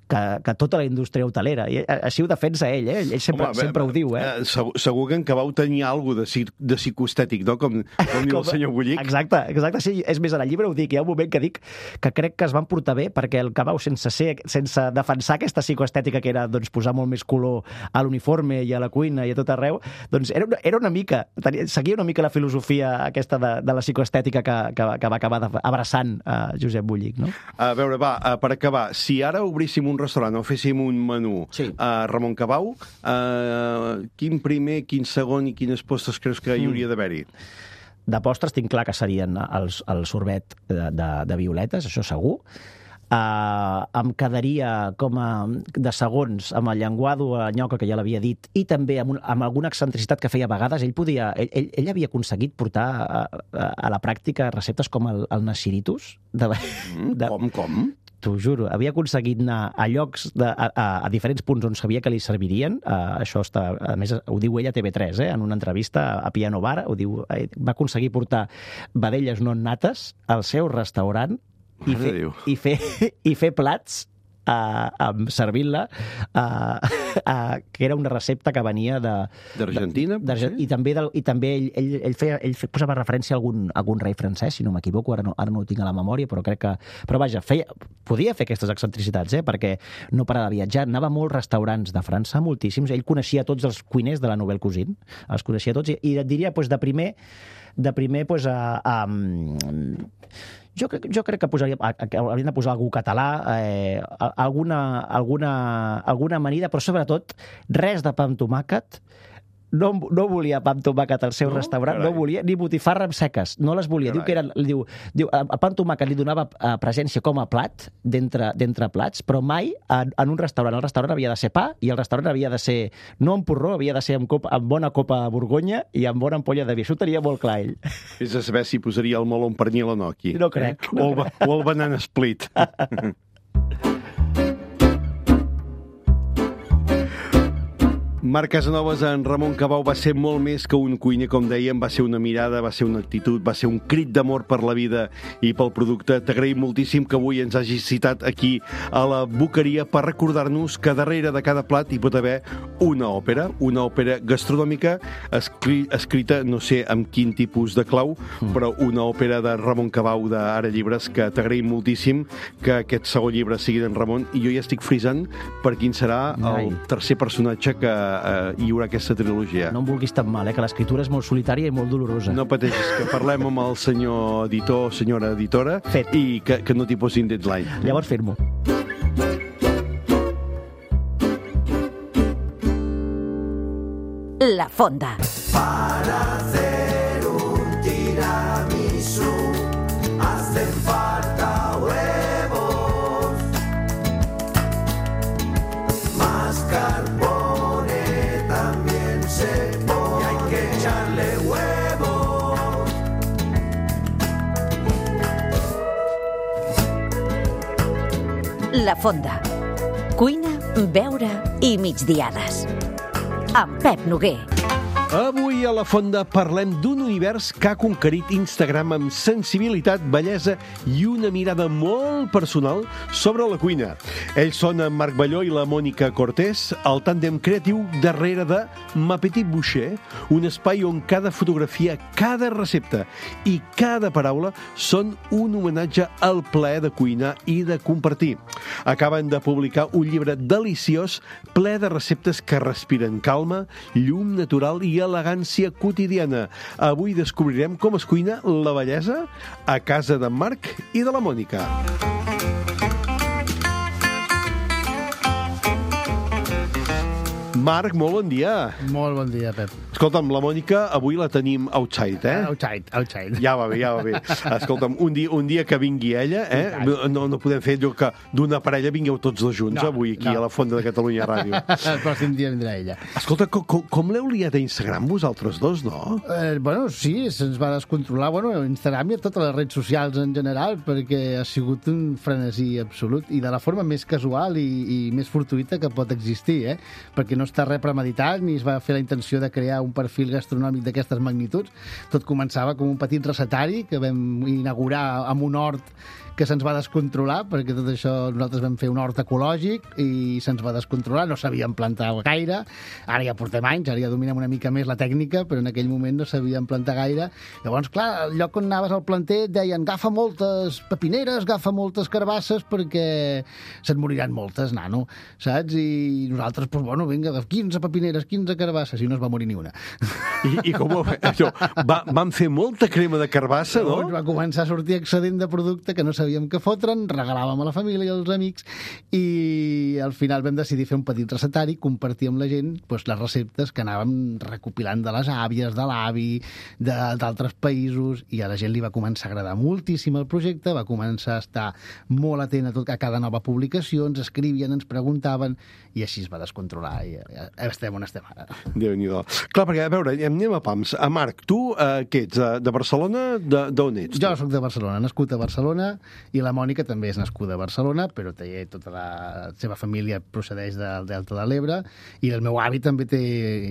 que, que tota la indústria hotelera. I així ho defensa ell, eh? Ell sempre, Home, sempre ho diu, eh? Segur, segur que en Cabau tenia alguna cosa de, de psicoestètic, no? Com, com diu el senyor Bullic. Exacte, exacte. Sí, és més, en el llibre ho dic. Hi ha un moment que dic que crec que es van portar bé perquè el Cabau, sense, ser, sense defensar aquesta psicoestètica que era doncs, posar molt més color a l'uniforme i a la cuina i a tot arreu, doncs era una, era una mica, tenia, seguia una mica la filosofia aquesta de, de la psicoestètica que, que, que va acabar abraçant a Josep Bullic, no? A veure, va, per acabar, si ara obríssim un restaurant o féssim un menú sí. a Ramon Cabau, eh, quin primer, quin segon i quines postres creus que hi hauria d'haver-hi? De postres tinc clar que serien els, el sorbet de, de, de violetes, això segur. Uh, em quedaria com a de segons amb el llenguado a nyoca, que ja l'havia dit, i també amb, un, amb alguna excentricitat que feia a vegades. Ell podia, ell, ell, ell havia aconseguit portar a, a, a la pràctica receptes com el, el Nasiritus. De, de, com, com? T'ho juro, havia aconseguit anar a llocs, de, a, a, a diferents punts on sabia que li servirien. Uh, això està, a més, ho diu ell a T V tres, eh, en una entrevista a Piano Bar, ho diu, eh, va aconseguir portar vedelles no nates al seu restaurant i fer, i, fer, i fer plats uh, servint-la uh, uh, que era una recepta que venia de d'Argentina, i també, del, i també ell, ell, ell, feia, ell posava referència a algun, a algun rei francès, si no m'equivoco, ara, no, ara no ho tinc a la memòria, però crec que... Però vaja, feia, podia fer aquestes excentricitats, eh, perquè no parava de viatjar, anava a molts restaurants de França, moltíssims, ell coneixia tots els cuiners de la Nouvelle Cuisine, els coneixia tots, i, i et diria, doncs, de primer, de primer, doncs, a... a Jo crec, jo crec que posaria, que hauríem de posar algú català, eh, alguna, alguna, alguna amanida, però sobretot res de pa amb tomàquet. No, no volia pa amb tomàquet al seu no? restaurant, Carai. No volia ni botifarres seques, no les volia. Carai. Diu que eren, diu, diu, el pa amb tomàquet li donava presència com a plat, d'entre plats, però mai en, en un restaurant. El restaurant havia de ser pa i el restaurant havia de ser, no amb porró, havia de ser amb, copa, amb bona copa de Borgonya i amb bona ampolla de vi. Això ho tenia molt clar ell. És a saber si posaria el meló amb pernil o no aquí. No crec. Eh? No o, el, crec. O el banana split. Marc Casanovas, en Ramon Cabau va ser molt més que un cuiner, com dèiem, va ser una mirada, va ser una actitud, va ser un crit d'amor per la vida i pel producte. T'agraïm moltíssim que avui ens hagis citat aquí a la Boqueria per recordar-nos que darrere de cada plat hi pot haver una òpera, una òpera gastronòmica escri escrita, no sé amb quin tipus de clau, mm. però una òpera de Ramon Cabau d'Ara Llibres, que t'agraïm moltíssim que aquest segon llibre sigui d'en Ramon, i jo ja estic frisant per quin serà el tercer personatge que Uh, hi haurà aquesta trilogia. No em vulguis tan mal, eh, que l'escriptura és molt solitària i molt dolorosa. No pateixis, que parlem amb el senyor editor, senyora editora, Fet. I que, que no t'hi posin deadline. Llavors firmo. La Fonda. Para hacer un tiramisú hacen falta huevos, más carbón. La Fonda. Cuina, beure i migdiades. Amb Pep Noguer. Avui a La Fonda parlem d'un univers que ha conquerit Instagram amb sensibilitat, bellesa i una mirada molt personal sobre la cuina. Ells són en Marc Balló i la Mònica Cortés, el tàndem creatiu darrere de Ma Petite Bouchée, un espai on cada fotografia, cada recepta i cada paraula són un homenatge al plaer de cuinar i de compartir. Acaben de publicar un llibre deliciós ple de receptes que respiren calma, llum natural i i elegància quotidiana. Avui descobrirem com es cuina la bellesa a casa d'en Marc i de la Mònica. Marc, molt bon dia. Molt bon dia, Pep. Escolta'm, la Mònica avui la tenim outside, eh? Outside, outside. Ja va bé, ja va bé. Escolta'm, un dia, un dia que vingui ella, eh? No, no podem fer allò que d'una parella vingueu tots dos junts, no, avui, aquí no. A la Fonda de Catalunya Ràdio. El pròxim dia vindrà ella. Escolta, com, com, com l'heu liat a Instagram vosaltres dos, no? Eh, bueno, sí, se'ns va descontrolar. Bueno, Instagram i a totes les redes socials en general, perquè ha sigut un frenesí absolut i de la forma més casual i, i més fortuïta que pot existir, eh? Perquè no està res premeditat ni es va fer la intenció de crear un perfil gastronòmic d'aquestes magnituds. Tot començava com un petit recetari que vam inaugurar amb un hort que se'ns va descontrolar, perquè tot això nosaltres vam fer un hort ecològic i se'ns va descontrolar, no sabíem plantar gaire, ara ja portem anys, ara ja dominem una mica més la tècnica, però en aquell moment no sabíem plantar gaire. Llavors, clar, al lloc on anaves al planter et deien agafa moltes pepineres, agafa moltes carbasses, perquè se'n moriran moltes, nano, saps? I nosaltres, doncs, bueno, vinga, quinze pepineres, quinze carbasses, i no es va morir ni una. I, i com ho això, va, van fer molta crema de carbassa, no? Llavors va començar a sortir excedent de producte que no sabíem què fotre'n, regalàvem a la família i als amics i al final vam decidir fer un petit recetari, compartir amb la gent doncs, les receptes que anàvem recopilant de les àvies, de l'avi, d'altres països, i a la gent li va començar a agradar moltíssim el projecte, va començar a estar molt atent a, tot, a cada nova publicació, ens escrivien, ens preguntaven, i així es va descontrolar i ja estem on estem ara. Déu-n'hi-do. Clar, perquè, a veure, anem a pams. A Marc, tu, eh, què ets? De Barcelona? D'on ets? Jo soc de Barcelona, nascut a Barcelona, i la Mònica també és nascuda a Barcelona, però té tota la seva família procedeix del Delta de l'Ebre, i el meu avi també té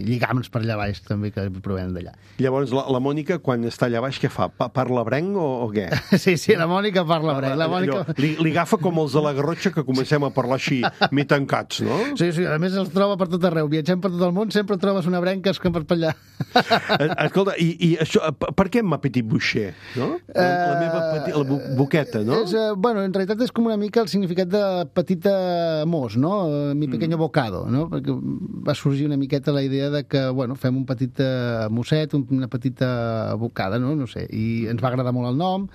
lligams per allà baix, també, que provenen d'allà. Llavors, la, la Mònica, quan està allà baix, què fa? Pa parla brenc o, o què? Sí, sí, la Mònica parla brenc. La Mònica... Allò, li, li agafa com els de la Garrotxa, que comencem a parlar així, mi tancats, no? Sí, sí, a més els troba per tot arreu. Viatgem per tot el món, sempre trobes una brenca que per allà. Escolta, i, i això, per què ma petit boucher, no? La, la meva petit, la bu boqueta, no? És, uh, bueno, en realitat és com una mica el significat de petita mos, no? Mi pequeño bocado, no? Perquè va sorgir una miqueta la idea de que, bueno, fem un petit mosset, una petita bocada, no? No sé, i ens va agradar molt el nom,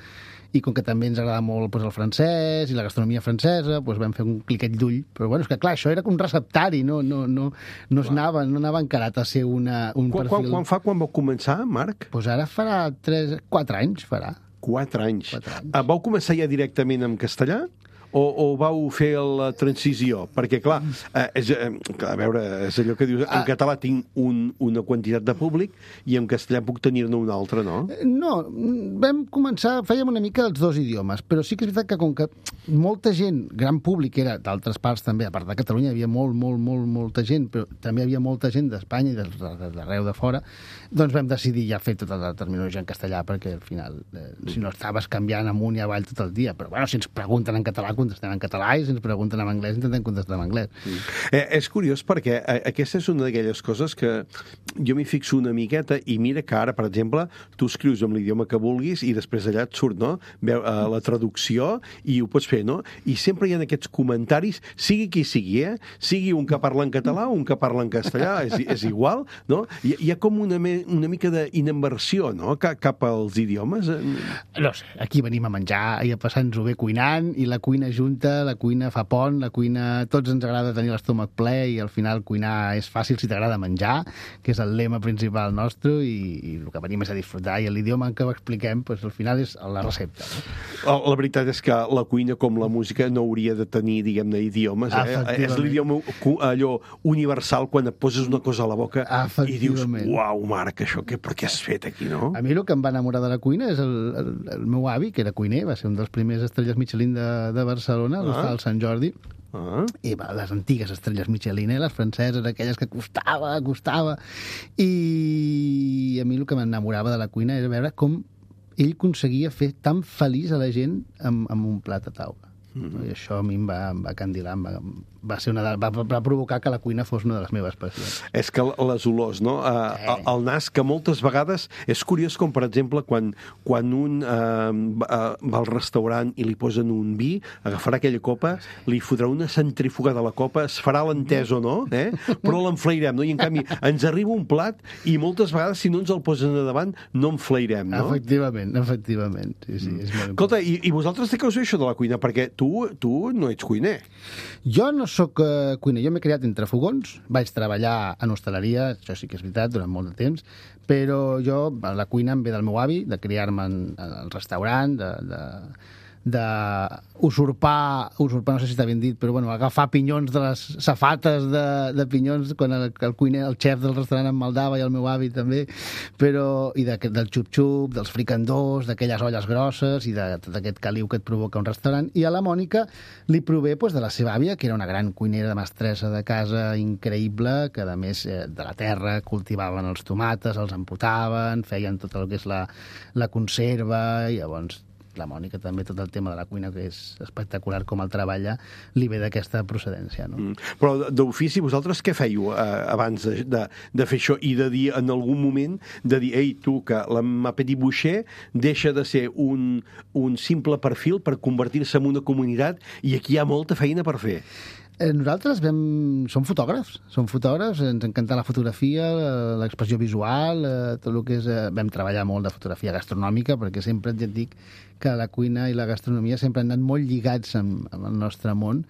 i com que també ens agrada molt doncs, el francès i la gastronomia francesa, doncs vam fer un cliquet d'ull. Però bueno, és que clar, això era un receptari, no, no, no, no, es anava, no anava encarat a ser una, un quan, perfil... Quan, quan fa, quan vau començar, Marc? Doncs ara farà tres, quatre anys, farà. Quatre anys. Quatre anys. Vau començar ja directament en castellà? O, o vau fer la transició? Perquè, clar, eh, és, eh, a veure, és allò que dius, en català tinc un, una quantitat de públic i en castellà puc tenir-ne un altre, no? No, vam començar, fèiem una mica els dos idiomes, però sí que és veritat que com que molta gent, gran públic, era d'altres parts també, a part de Catalunya, hi havia molt, molt, molt, molta gent, però també hi havia molta gent d'Espanya i d'arreu de fora, doncs vam decidir ja fer tota la terminologia en castellà, perquè al final, eh, si no estaves canviant amunt i avall tot el dia, però bueno, si ens pregunten en català, contestem en català, i si ens pregunten en anglès, intentem contestar en anglès. Mm. Eh, és curiós perquè eh, aquesta és una d'aquelles coses que jo m'hi fixo una miqueta i mira que ara, per exemple, tu escrius en l'idioma que vulguis i després allà et surt, no?, Veu, eh, la traducció i ho pots fer, no? I sempre hi ha aquests comentaris, sigui qui sigui, eh? Sigui un que parla en català o un que parla en castellà, és, és igual, no? Hi, hi ha com una, me, una mica d'inversió, no?, cap, cap als idiomes. No sé, aquí venim a menjar i a passar-nos-ho bé cuinant, i la cuina junta, la cuina fa pont, la cuina... Tots ens agrada tenir l'estómac ple i al final cuinar és fàcil si t'agrada menjar, que és el lema principal nostre, i, i el que venim és a disfrutar, i l'idioma en què ho expliquem, doncs, al final és la recepta. No? La veritat és que la cuina, com la música, no hauria de tenir, diguem-ne, idiomes. Eh? És l'idioma allò universal quan et poses una cosa a la boca i dius, uau, Marc, això què, per què has fet aquí, no? A mi el que em va enamorar de la cuina és el, el, el meu avi, que era cuiner, va ser un dels primers estrelles Michelin de, de Barcelona, ah. al Sant Jordi, ah. i va, les antigues estrelles Michelin, eh, les franceses, aquelles que costava, costava, i a mi el que m'enamorava de la cuina era veure com ell aconseguia fer tan feliç a la gent amb, amb un plat a taula. Mm-hmm. I això a mi em va, em va candilar, em va, va, ser una de, va, va provocar que la cuina fos una de les meves passions. És que les olors, no? Uh, Sí. El nas, que moltes vegades és curiós, com per exemple quan, quan un uh, va, va al restaurant i li posen un vi, agafarà aquella copa, li fotrà una centrífuga de la copa, es farà l'entès o no, eh? Però l'enflairem, no? I en canvi ens arriba un plat i moltes vegades si no ens el posen a davant no enflairem, no? Efectivament, efectivament. Sí, sí, és molt Escolta, i, i vosaltres de què us ve això de la cuina? Perquè tu, tu no ets cuiner. Jo no sóc uh, cuiner, jo m'he criat entre fogons, vaig treballar en hostaleria, això sí que és veritat, durant molt de temps, però jo, la cuina em ve del meu avi, de criar-me en, en el restaurant, de, de, de usurpar, usurpar, no sé si està ben dit, però bueno, agafar pinyons de les safates de, de pinyons quan el, el cuiner, el xef del restaurant em maldava i el meu avi també, però, i de, del xup-xup, dels fricandós, d'aquelles olles grosses i de tot aquest caliu que et provoca un restaurant. I a la Mònica li prové pues, de la seva àvia, que era una gran cuinera de mestressa de casa increïble, que a més eh, de la terra cultivaven els tomates, els empotaven, feien tot el que és la, la conserva, i llavors la Mònica també, tot el tema de la cuina, que és espectacular com el treballa, li ve d'aquesta procedència, no? Mm. Però d'ofici, vosaltres què fèieu eh, abans de, de, de fer això i de dir en algun moment, de dir, ei, tu, que la Ma Petit Boucher deixa de ser un, un simple perfil per convertir-se en una comunitat i aquí hi ha molta feina per fer? Nosaltres vam... som fotògrafs, som fotògrafs, ens encanta la fotografia, l'expressió visual, tot el que és... Vam treballar molt de fotografia gastronòmica, perquè sempre ja et dic que la cuina i la gastronomia sempre han anat molt lligats amb, amb el nostre món.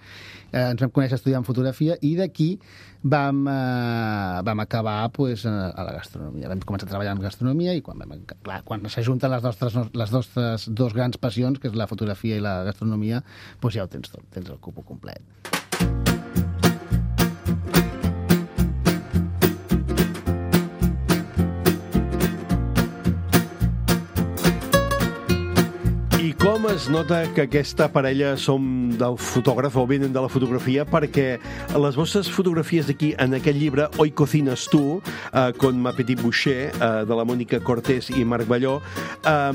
Eh, ens vam conèixer estudiant fotografia i d'aquí vam, eh, vam acabar pues, a la gastronomia. Vam començar a treballar en gastronomia i quan, vam, clar, quan s'ajunten les nostres, les nostres dos grans passions, que és la fotografia i la gastronomia, pues ja ho tens tot, tens el cupo complet. Com es nota que aquesta parella som del fotògraf o venen de la fotografia? Perquè les vostres fotografies d'aquí, en aquest llibre Hoy cocinas tú, eh, con Ma Petit Boucher, eh, de la Mònica Cortés i Marc Balló, eh,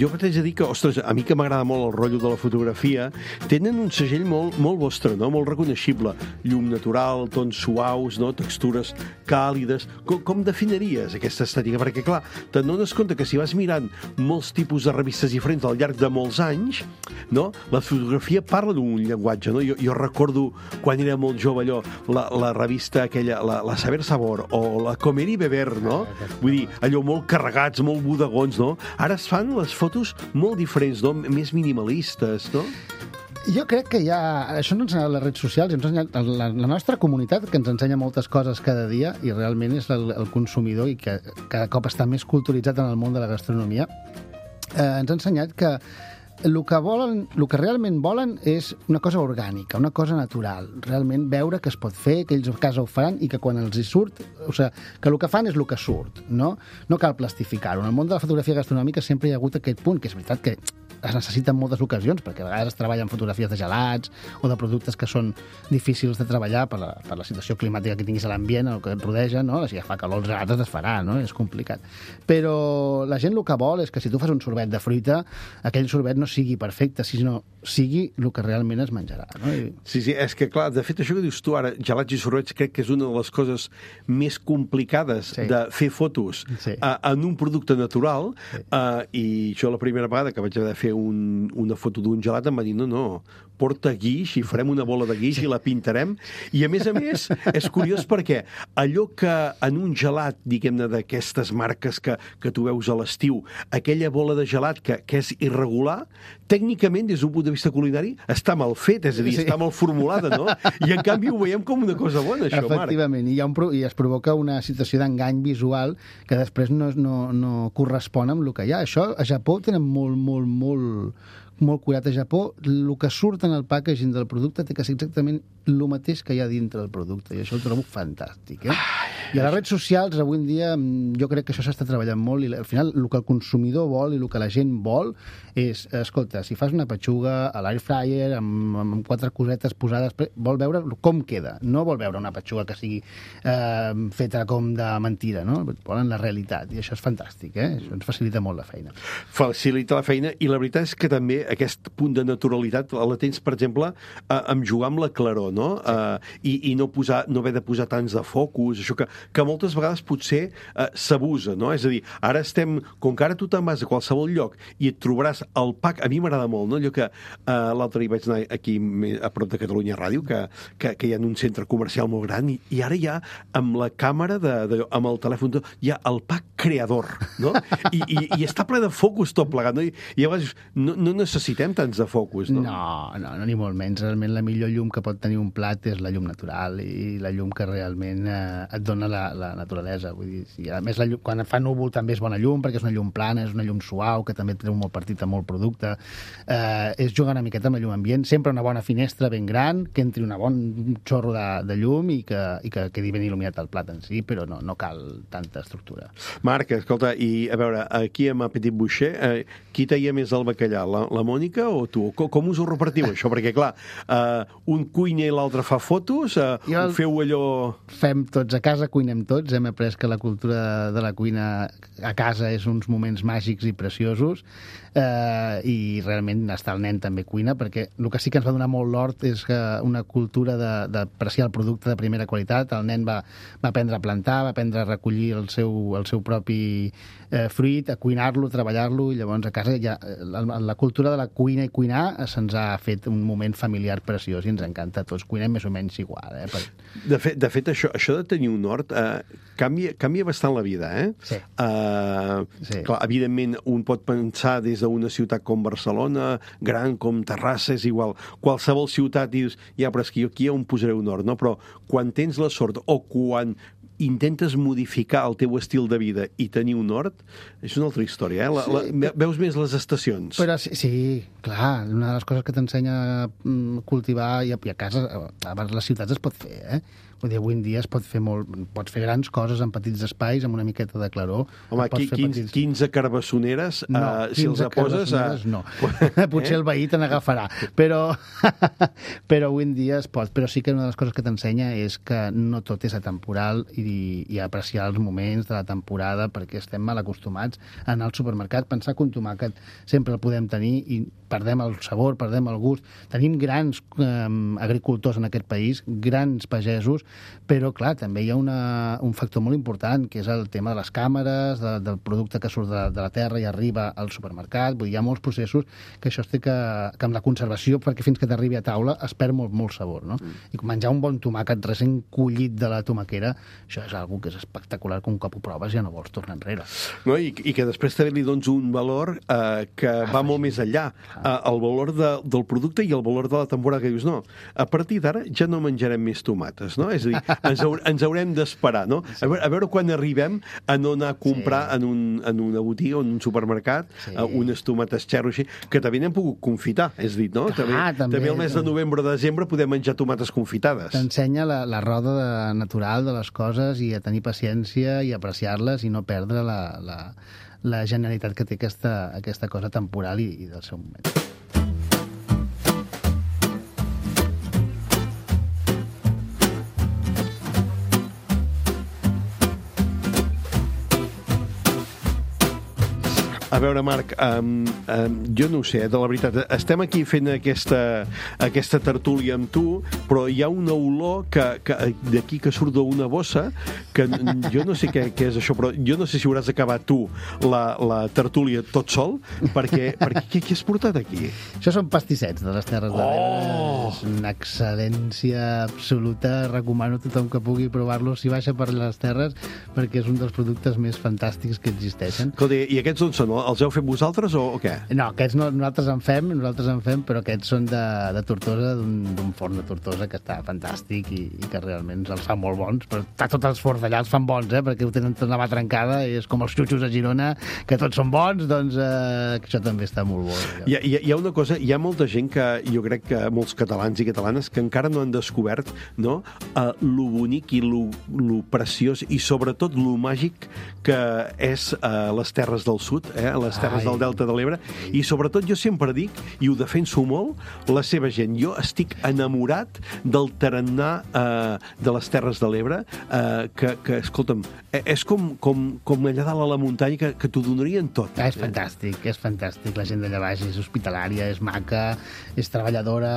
jo t'haig de dir que, ostres, a mi que m'agrada molt el rotllo de la fotografia, tenen un segell molt, molt vostre, no? Molt reconeixible. Llum natural, tons suaus, no? Textures càlides. Com, com definiries aquesta estètica? Perquè, clar, t'adones compte que si vas mirant molts tipus de revistes diferents al llarg de molts anys, no? La fotografia parla d'un llenguatge, no? Jo, jo recordo quan era molt jove allò, la, la revista aquella, la, la Saber Sabor, o la Comer i Beber, no? Vull dir, allò molt carregats, molt bodegons, no? Ara es fan les fotos molt diferents, no? Més minimalistes, no? Jo crec que ja... Això no ens ha ensenyat les redes socials, ens ha ensenyat la, la nostra comunitat, que ens ensenya moltes coses cada dia, i realment és el, el consumidor, i que cada cop està més culturitzat en el món de la gastronomia, eh, ens ha ensenyat que el que volen, el que realment volen és una cosa orgànica, una cosa natural, realment veure que es pot fer, que ells a casa ho faran i que quan els hi surt, o sigui, que el que fan és el que surt, no? No cal plastificar-ho. En el món de la fotografia gastronòmica sempre hi ha hagut aquest punt, que és veritat que es necessita en moltes ocasions, perquè a vegades es treballen fotografies de gelats o de productes que són difícils de treballar per la, per la situació climàtica que tinguis a l'ambient, el que et rodeja, no? Si ja fa calor, els gelats es farà, no? És complicat. Però la gent el que vol és que si tu fas un sorbet de fruita, aquell sorbet no sigui perfecte, sinó sigui el que realment es menjarà, no? I... Sí, sí, és que, clar, de fet, això que dius tu ara, gelats i sorbets, crec que és una de les coses més complicades sí. de fer fotos sí. uh, en un producte natural, sí. uh, i jo la primera vegada que vaig haver de fer un, una foto d'un gelat em va dir, no, no, porta guix i farem una bola de guix i la pintarem. I, a més a més, és curiós perquè allò que en un gelat, diguem-ne, d'aquestes marques que, que tu veus a l'estiu, aquella bola de gelat que, que és irregular, tècnicament, des d'un punt de vista culinari, està mal fet, és a dir, sí. està mal formulada, no? I, en canvi, ho veiem com una cosa bona, això, Marc. Efectivament, i, hi ha un, i es provoca una situació d'engany visual que després no, no, no correspon amb el que hi ha. Això, a Japó, tenen molt, molt, molt molt curat. A Japó, el que surt en el packaging del producte té que ser exactament el mateix que hi ha dintre del producte, i això ho trobo fantàstic, eh? I a les redes socials, avui en dia, jo crec que això s'està treballant molt i al final el que el consumidor vol i el que la gent vol és, escolta, si fas una petxuga a l'air fryer amb, amb quatre cosetes posades, vol veure com queda, no vol veure una petxuga que sigui eh, feta com de mentira, no? Volen la realitat, i això és fantàstic, eh? Això ens facilita molt la feina. Facilita la feina, i la veritat és que també aquest punt de naturalitat la tens, per exemple, eh, amb jugar amb la claror, no? Sí. Eh, i, i no, posar, no haver de posar tants de focus, això que, que moltes vegades potser eh, s'abusa, no? És a dir, ara estem, com que ara tu te'n vas a qualsevol lloc i et trobaràs el pack, a mi m'agrada molt, no? Allò que eh, l'altre dia vaig anar aquí a prop de Catalunya Ràdio, que, que, que hi ha un centre comercial molt gran, i, i ara hi ha, amb la càmera, de, de, amb el telèfon, hi ha el pack creador, no? I, i, i està ple de focus tot plegat, no? I, i llavors no, no necessitem tants de focus, no? No, no, no, ni molt menys. Realment la millor llum que pot tenir un plat és la llum natural i la llum que realment eh, et dona la, la naturalesa. Vull dir, si, a més, la llum, quan fa núvol també és bona llum, perquè és una llum plana, és una llum suau, que també treu molt partit a molt producte. Eh, és jugar una miqueta amb la llum ambient, sempre una bona finestra ben gran, que entri una bon xorro de, de llum i que, i que quedi ben il·luminat el plat en si, però no, no cal tanta estructura. Marc, escolta, i a veure, aquí amb Petit Boucher, eh, qui taia més el bacallà, la, la Mònica o tu? Com, com us ho repartiu, això? Perquè, clar, eh, un cuina i l'altre fa fotos, eh, el... ho feu allò... Fem tots a casa, cuinem tots, hem après que la cultura de la cuina a casa és uns moments màgics i preciosos, eh, i realment està el nen també cuina, perquè el que sí que ens va donar molt l'hort és que una cultura d'apreciar el producte de primera qualitat. El nen va, va aprendre a plantar, va aprendre a recollir el seu, el seu propi eh, fruit, a cuinar-lo, treballar-lo, i llavors a casa ja, la, la cultura de la cuina i cuinar se'ns ha fet un moment familiar preciós i ens encanta a tots. Cuinem més o menys igual. Eh, per... De fet, de fet això, això de tenir un hort eh, canvia, canvia bastant la vida, eh? Sí. Uh, sí. Clar, evidentment, un pot pensar des d'una ciutat com Barcelona, gran com Terrassa, és igual. Qualsevol ciutat dius, ja, però és que jo aquí on posaré un hort, no? Però quan tens la sort o quan intentes modificar el teu estil de vida i tenir un hort, és una altra història, eh? La, la, sí, veus més les estacions. Però sí, sí, clar, una de les coses que t'ensenya a cultivar i a, i a casa, a les ciutats es pot fer, eh? Vull dir, avui en dia es pot fer molt... Pots fer grans coses en petits espais, amb una miqueta de claror. Home, qui, quinze, petits... quinze carbassoneres, no, uh, si els poses... Uh... no. Potser eh? el veí te n'agafarà. Però, però avui en dia es pot. Però sí que una de les coses que t'ensenya és que no tot és atemporal i, i apreciar els moments de la temporada, perquè estem mal acostumats a anar al supermercat, pensar que un tomàquet sempre el podem tenir i perdem el sabor, perdem el gust. Tenim grans eh, agricultors en aquest país, grans pagesos, però, clar, també hi ha una, un factor molt important, que és el tema de les càmeres, de, del producte que surt de, de la terra i arriba al supermercat. Vull dir, hi ha molts processos que això es té que, que amb la conservació, perquè fins que t'arribi a taula es perd molt, molt sabor, no? Mm. I menjar un bon tomàquet recent collit de la tomaquera, això és algo que és espectacular, que un cop ho proves ja no vols tornar enrere. No, i, i que després també li dones un valor eh, que ah, va molt més enllà. Eh, el valor de, del producte i el valor de la temporada, que dius, no, a partir d'ara ja no menjarem més tomates, no? És a dir, ens, haure, ens haurem d'esperar, no? A veure, a veure quan arribem a no anar a comprar sí. en, un, en una botiga o en un supermercat sí. uh, unes tomates xerro així, que també n'hem pogut confitar, és dit, no? Clar, també, també, també el mes de novembre o desembre podem menjar tomates confitades. T'ensenya la, la roda de, natural de les coses i a tenir paciència i apreciar-les i no perdre la, la, la genialitat que té aquesta, aquesta cosa temporal i, i del seu moment. A veure, Marc, um, um, jo no ho sé, de la veritat, estem aquí fent aquesta, aquesta tertúlia amb tu, però hi ha una olor que, que d'aquí que surt d'una bossa, que jo no sé què, què és això, però jo no sé si hauràs acabat tu la, la tertúlia tot sol, perquè, perquè què, què has portat aquí? Això són pastissets de les Terres de l'Ebre. Oh! És una excel·lència absoluta. Recomano a tothom que pugui provar-los si baixa per les Terres, perquè és un dels productes més fantàstics que existeixen. Escolta, i aquests on són? els heu fet vosaltres o, o què? No, aquests no, nosaltres en fem, nosaltres en fem, però aquests són de, de Tortosa, d'un forn de Tortosa que està fantàstic i, i que realment els fa molt bons. Però tots els forns d'allà els fan bons, eh? Perquè ho tenen tot una mà trencada i és com els xutxos a Girona, que tots són bons, doncs eh, això també està molt bo. Hi ha, hi, ha, hi ha una cosa, hi ha molta gent que, jo crec que molts catalans i catalanes que encara no han descobert, no?, uh, lo bonic i lo, lo preciós i sobretot lo màgic que és uh, les Terres del Sud, eh? Les Terres Ai. del Delta de l'Ebre, i sobretot jo sempre dic, i ho defenso molt, la seva gent. Jo estic enamorat del tarannà uh, de les Terres de l'Ebre, uh, que, que, escolta'm, és com, com, com allà dalt a la muntanya que, que t'ho donarien tot. Ah, és fantàstic, és fantàstic. La gent d'allà baix és hospitalària, és maca, és treballadora,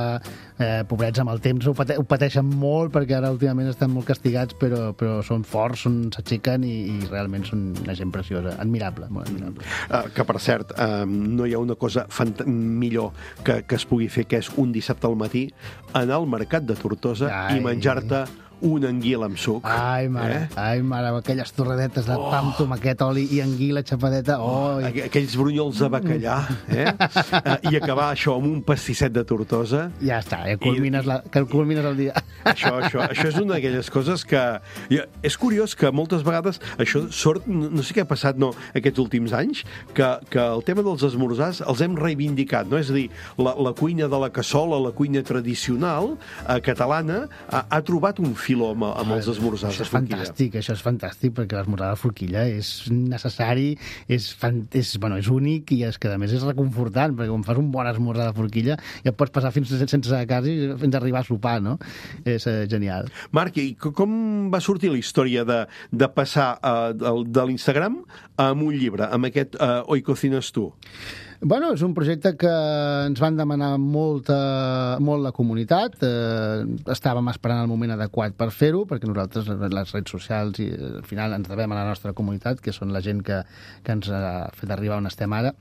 eh, pobrets amb el temps ho, pate ho pateixen molt perquè ara últimament estan molt castigats, però, però són forts, s'aixequen i, i realment són una gent preciosa, admirable, molt admirable. Uh, que, per cert, uh, no hi ha una cosa millor que, que es pugui fer, que és un dissabte al matí anar al mercat de Tortosa Ai. i menjar-te una anguila amb suc. Ai, mare, eh? ai, mare, aquelles torradetes de oh. pa amb tomaquet, oli i anguila xapadeta. Oh, i... Aquells brunyols de bacallà, eh? uh, I acabar això amb un pastisset de Tortosa. Ja està, ja culmines, I... la, que culmines el dia. Això, això, això és una d'aquelles coses que... És curiós que moltes vegades això sort, no, no sé què ha passat no, aquests últims anys, que, que el tema dels esmorzars els hem reivindicat, no? És a dir, la, la cuina de la cassola, la cuina tradicional eh, catalana, ha, ha trobat un filó amb, amb els esmorzars això de és fantàstic, això és fantàstic, perquè l'esmorzar de forquilla és necessari, és, fan, és, bueno, és únic i és que a més és reconfortant, perquè quan fas un bon esmorzar de forquilla ja et pots passar fins sense casa i fins a arribar a sopar, no? És eh, genial. Marc, i com va sortir la història de, de passar uh, de, de l'Instagram a un llibre, amb aquest uh, Hoy Cocinas Tú? Bueno, és un projecte que ens van demanar molta, molt la comunitat. Eh, estàvem esperant el moment adequat per fer-ho, perquè nosaltres, les redes socials, i al final ens devem a la nostra comunitat, que són la gent que, que ens ha fet arribar on estem ara.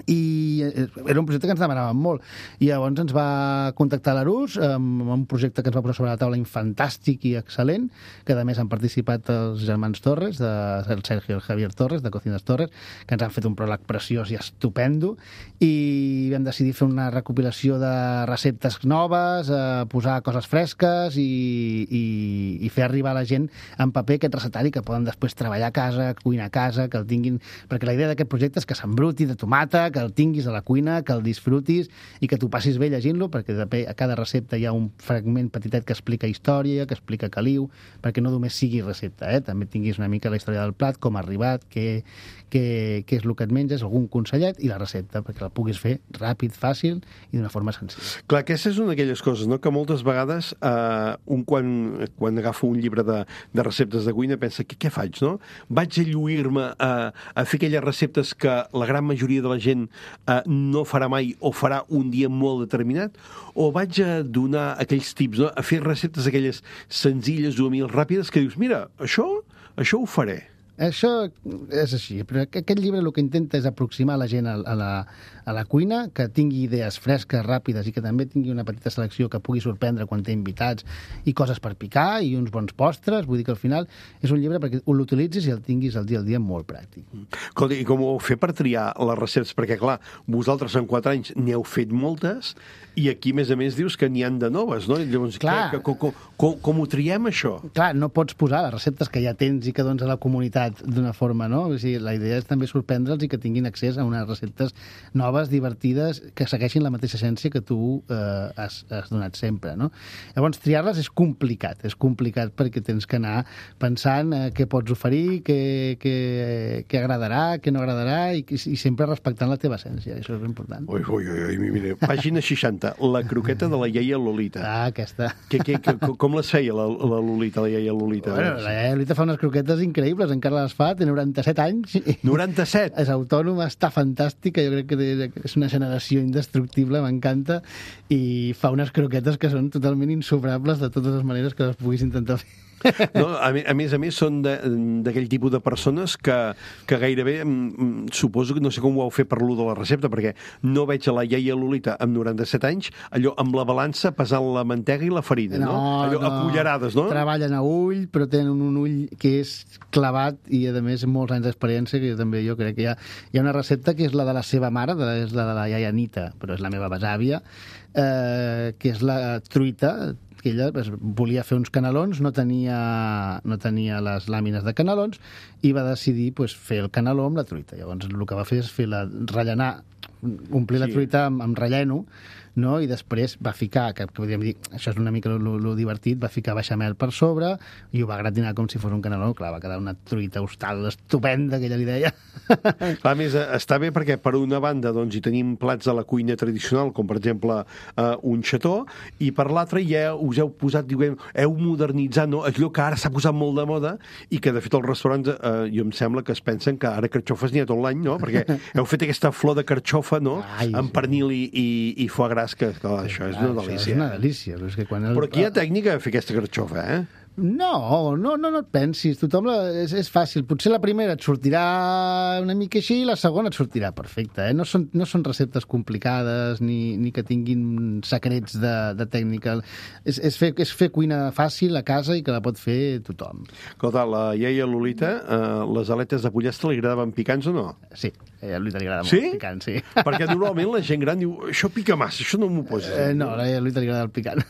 I era un projecte que ens demanaven molt i llavors ens va contactar l'Arús amb un projecte que ens va posar sobre la taula fantàstic i excel·lent, que a més han participat els germans Torres, de, el Sergio i el Javier Torres, de Cocinas Torres, que ens han fet un pròleg preciós i estupendo, i vam decidir fer una recopilació de receptes noves, eh, posar coses fresques i, i, i fer arribar a la gent en paper aquest recetari que poden després treballar a casa, cuinar a casa, que el tinguin, perquè la idea d'aquest projecte és que s'embruti de tomata, que el tinguis a la cuina, que el disfrutis i que t'ho passis bé llegint-lo, perquè a cada recepta hi ha un fragment petitet que explica història, que explica caliu, perquè no només sigui recepta, eh? També tinguis una mica la història del plat, com ha arribat, què, què, què és el que et menges, algun consellet i la recepta, perquè la puguis fer ràpid, fàcil i d'una forma senzilla. Clar, aquesta és una d'aquelles coses, no?, que moltes vegades eh, un quan, quan agafa un llibre de, de receptes de cuina pensa, què, què faig, no? Vaig a lluir-me a, a fer aquelles receptes que la gran majoria de la gent eh, no farà mai o farà un dia molt determinat, o vaig a donar aquells tips, no?, a fer receptes aquelles senzilles o humils ràpides que dius, mira, això, això ho faré. Això és així, però aquest llibre el que intenta és aproximar la gent a la, a la cuina, que tingui idees fresques, ràpides i que també tingui una petita selecció que pugui sorprendre quan té invitats i coses per picar i uns bons postres. Vull dir que al final és un llibre perquè l'utilitzis i el tinguis al dia al dia molt pràctic. Escolta, i com ho heu fet per triar les receptes? Perquè, clar, vosaltres en quatre anys n'heu fet moltes i aquí, a més a més, dius que n'hi han de noves, no? Llavors, clar, que, com, com, com ho triem, això? Clar, no pots posar les receptes que ja tens i que dones a la comunitat d'una forma, no? O sigui, la idea és també sorprendre'ls i que tinguin accés a unes receptes noves, divertides, que segueixin la mateixa essència que tu eh, has, has donat sempre, no? Llavors, triar-les és complicat, és complicat perquè tens que anar pensant eh, què pots oferir, què, què, què agradarà, què no agradarà i, i sempre respectant la teva essència, això és important. Ui, ui, ui, mira, pàgina seixanta, la croqueta de la iaia Lolita. Ah, aquesta. Que, que, que, com les feia la, la Lolita, la iaia Lolita? Bueno, la iaia Lolita fa unes croquetes increïbles, encara les fa, té noranta-set anys. noranta-set? És autònoma, està fantàstica, jo crec que és una generació indestructible, m'encanta, i fa unes croquetes que són totalment insobrables de totes les maneres que les puguis intentar fer. No, a, a més a més, són d'aquell tipus de persones que, que gairebé, mm, suposo que no sé com ho heu fet per l'u de la recepta, perquè no veig a la iaia Lolita amb noranta-set anys, allò amb la balança pesant la mantega i la farina, no? No, Allò no. a cullerades, no? Treballen a ull, però tenen un ull que és clavat i, a més, molts anys d'experiència, que també jo crec que hi ha, hi ha una recepta que és la de la seva mare, de, és la de la iaia Anita, però és la meva besàvia, eh, que és la truita, que ella pues, volia fer uns canelons, no tenia, no tenia les làmines de canelons i va decidir pues, fer el caneló amb la truita. Llavors el que va fer és fer la, rellenar, omplir sí. la truita amb, amb relleno, no? I després va ficar, que, que podríem dir, això és una mica lo divertit, va ficar beixamel per sobre i ho va gratinar com si fos un caneló. Clar, va quedar una truita hostal estupenda, que ella li deia. A més, està bé perquè per una banda doncs, hi tenim plats de la cuina tradicional, com per exemple eh, un xató, i per l'altra ja us heu posat, diguem, heu modernitzat, no? Allò que ara s'ha posat molt de moda i que, de fet, els restaurants, eh, jo em sembla que es pensen que ara carxofes n'hi ha tot l'any, no? Perquè heu fet aquesta flor de carxofa, no? Ai, amb pernil i, i, i foie gras, que, que això és una delícia. Això és una delícia. Però, és que quan el... però aquí hi ha tècnica de fer aquesta carxofa, eh? No, no, no, no et pensis. Tothom la, és, és fàcil. Potser la primera et sortirà una mica així i la segona et sortirà perfecta. Eh? No, són, no són receptes complicades ni, ni que tinguin secrets de, de tècnica. És, és, fer, és fer cuina fàcil a casa i que la pot fer tothom. Escolta, la iaia Lolita, eh, les aletes de pollastre li agradaven picants o no? Sí, a Lolita li agrada sí? molt picant, sí. Perquè normalment la gent gran diu això pica massa, això no m'ho posis. Eh, no, a Lolita li agrada el picant.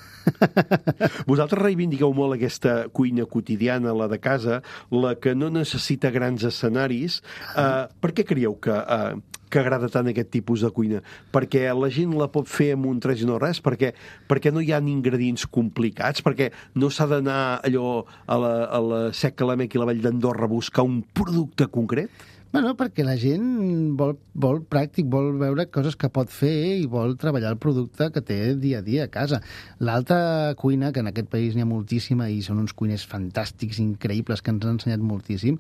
Vosaltres reivindiqueu molt aquesta cuina quotidiana, la de casa, la que no necessita grans escenaris. Uh, per què creieu que, uh, que agrada tant aquest tipus de cuina? Perquè la gent la pot fer amb un tres i no res? Perquè, perquè no hi ha ingredients complicats? Perquè no s'ha d'anar allò a la, a la Sec Calamec i la Vall d'Andorra a buscar un producte concret? Bueno, perquè la gent vol, vol pràctic, vol veure coses que pot fer i vol treballar el producte que té dia a dia a casa. L'alta cuina, que en aquest país n'hi ha moltíssima i són uns cuiners fantàstics, increïbles, que ens han ensenyat moltíssim,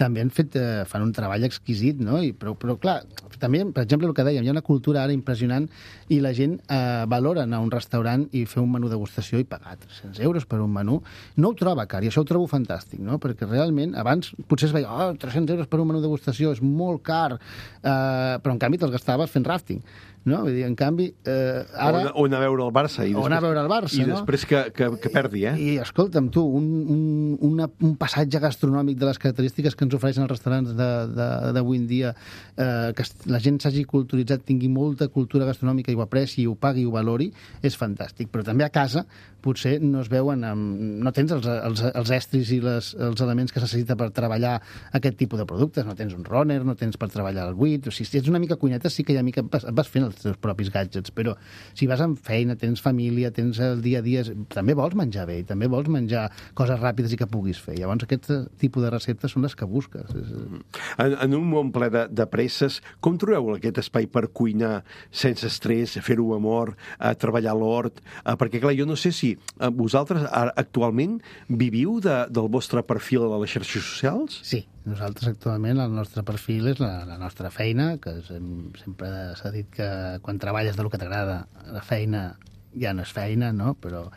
també han fet, eh, fan un treball exquisit, no? I, però, però, clar, també, per exemple, el que dèiem, hi ha una cultura ara impressionant i la gent eh, valora anar a un restaurant i fer un menú degustació i pagar tres-cents euros per un menú. No ho troba car, i això ho trobo fantàstic, no? Perquè realment, abans potser es veia, oh, tres-cents euros per un menú degustació és molt car, eh, però en canvi te'ls gastaves fent rafting. No? Vull dir, en canvi, eh, ara... O anar a veure el Barça. I o anar a veure el Barça, I no? després que, que, que perdi, eh? I, i escolta'm, tu, un, un, una, un passatge gastronòmic de les característiques que ens ofereixen els restaurants d'avui en dia, eh, que la gent s'hagi culturitzat, tingui molta cultura gastronòmica i ho apreci, ho pagui i ho valori, és fantàstic. Però també a casa potser no es veuen... Amb, no tens els, els, els estris i les, els elements que es necessita per treballar aquest tipus de productes. No tens un runner, no tens per treballar el buit. O sigui, si ets una mica cuineta, sí que ja mica vas, vas fent els teus propis gadgets, però si vas amb feina, tens família, tens el dia a dia, també vols menjar bé i també vols menjar coses ràpides i que puguis fer. Llavors aquest tipus de receptes són les que busques. En, en un món ple de, de presses, com trobeu aquest espai per cuinar sense estrès, fer-ho amb amor, a treballar a l'hort? Perquè, clar, jo no sé si vosaltres actualment viviu de, del vostre perfil a les xarxes socials? Sí. Nosaltres actualment el nostre perfil és la, la nostra feina, que sem sempre s'ha dit que quan treballes del que t'agrada, la feina ja no és feina, no? Però,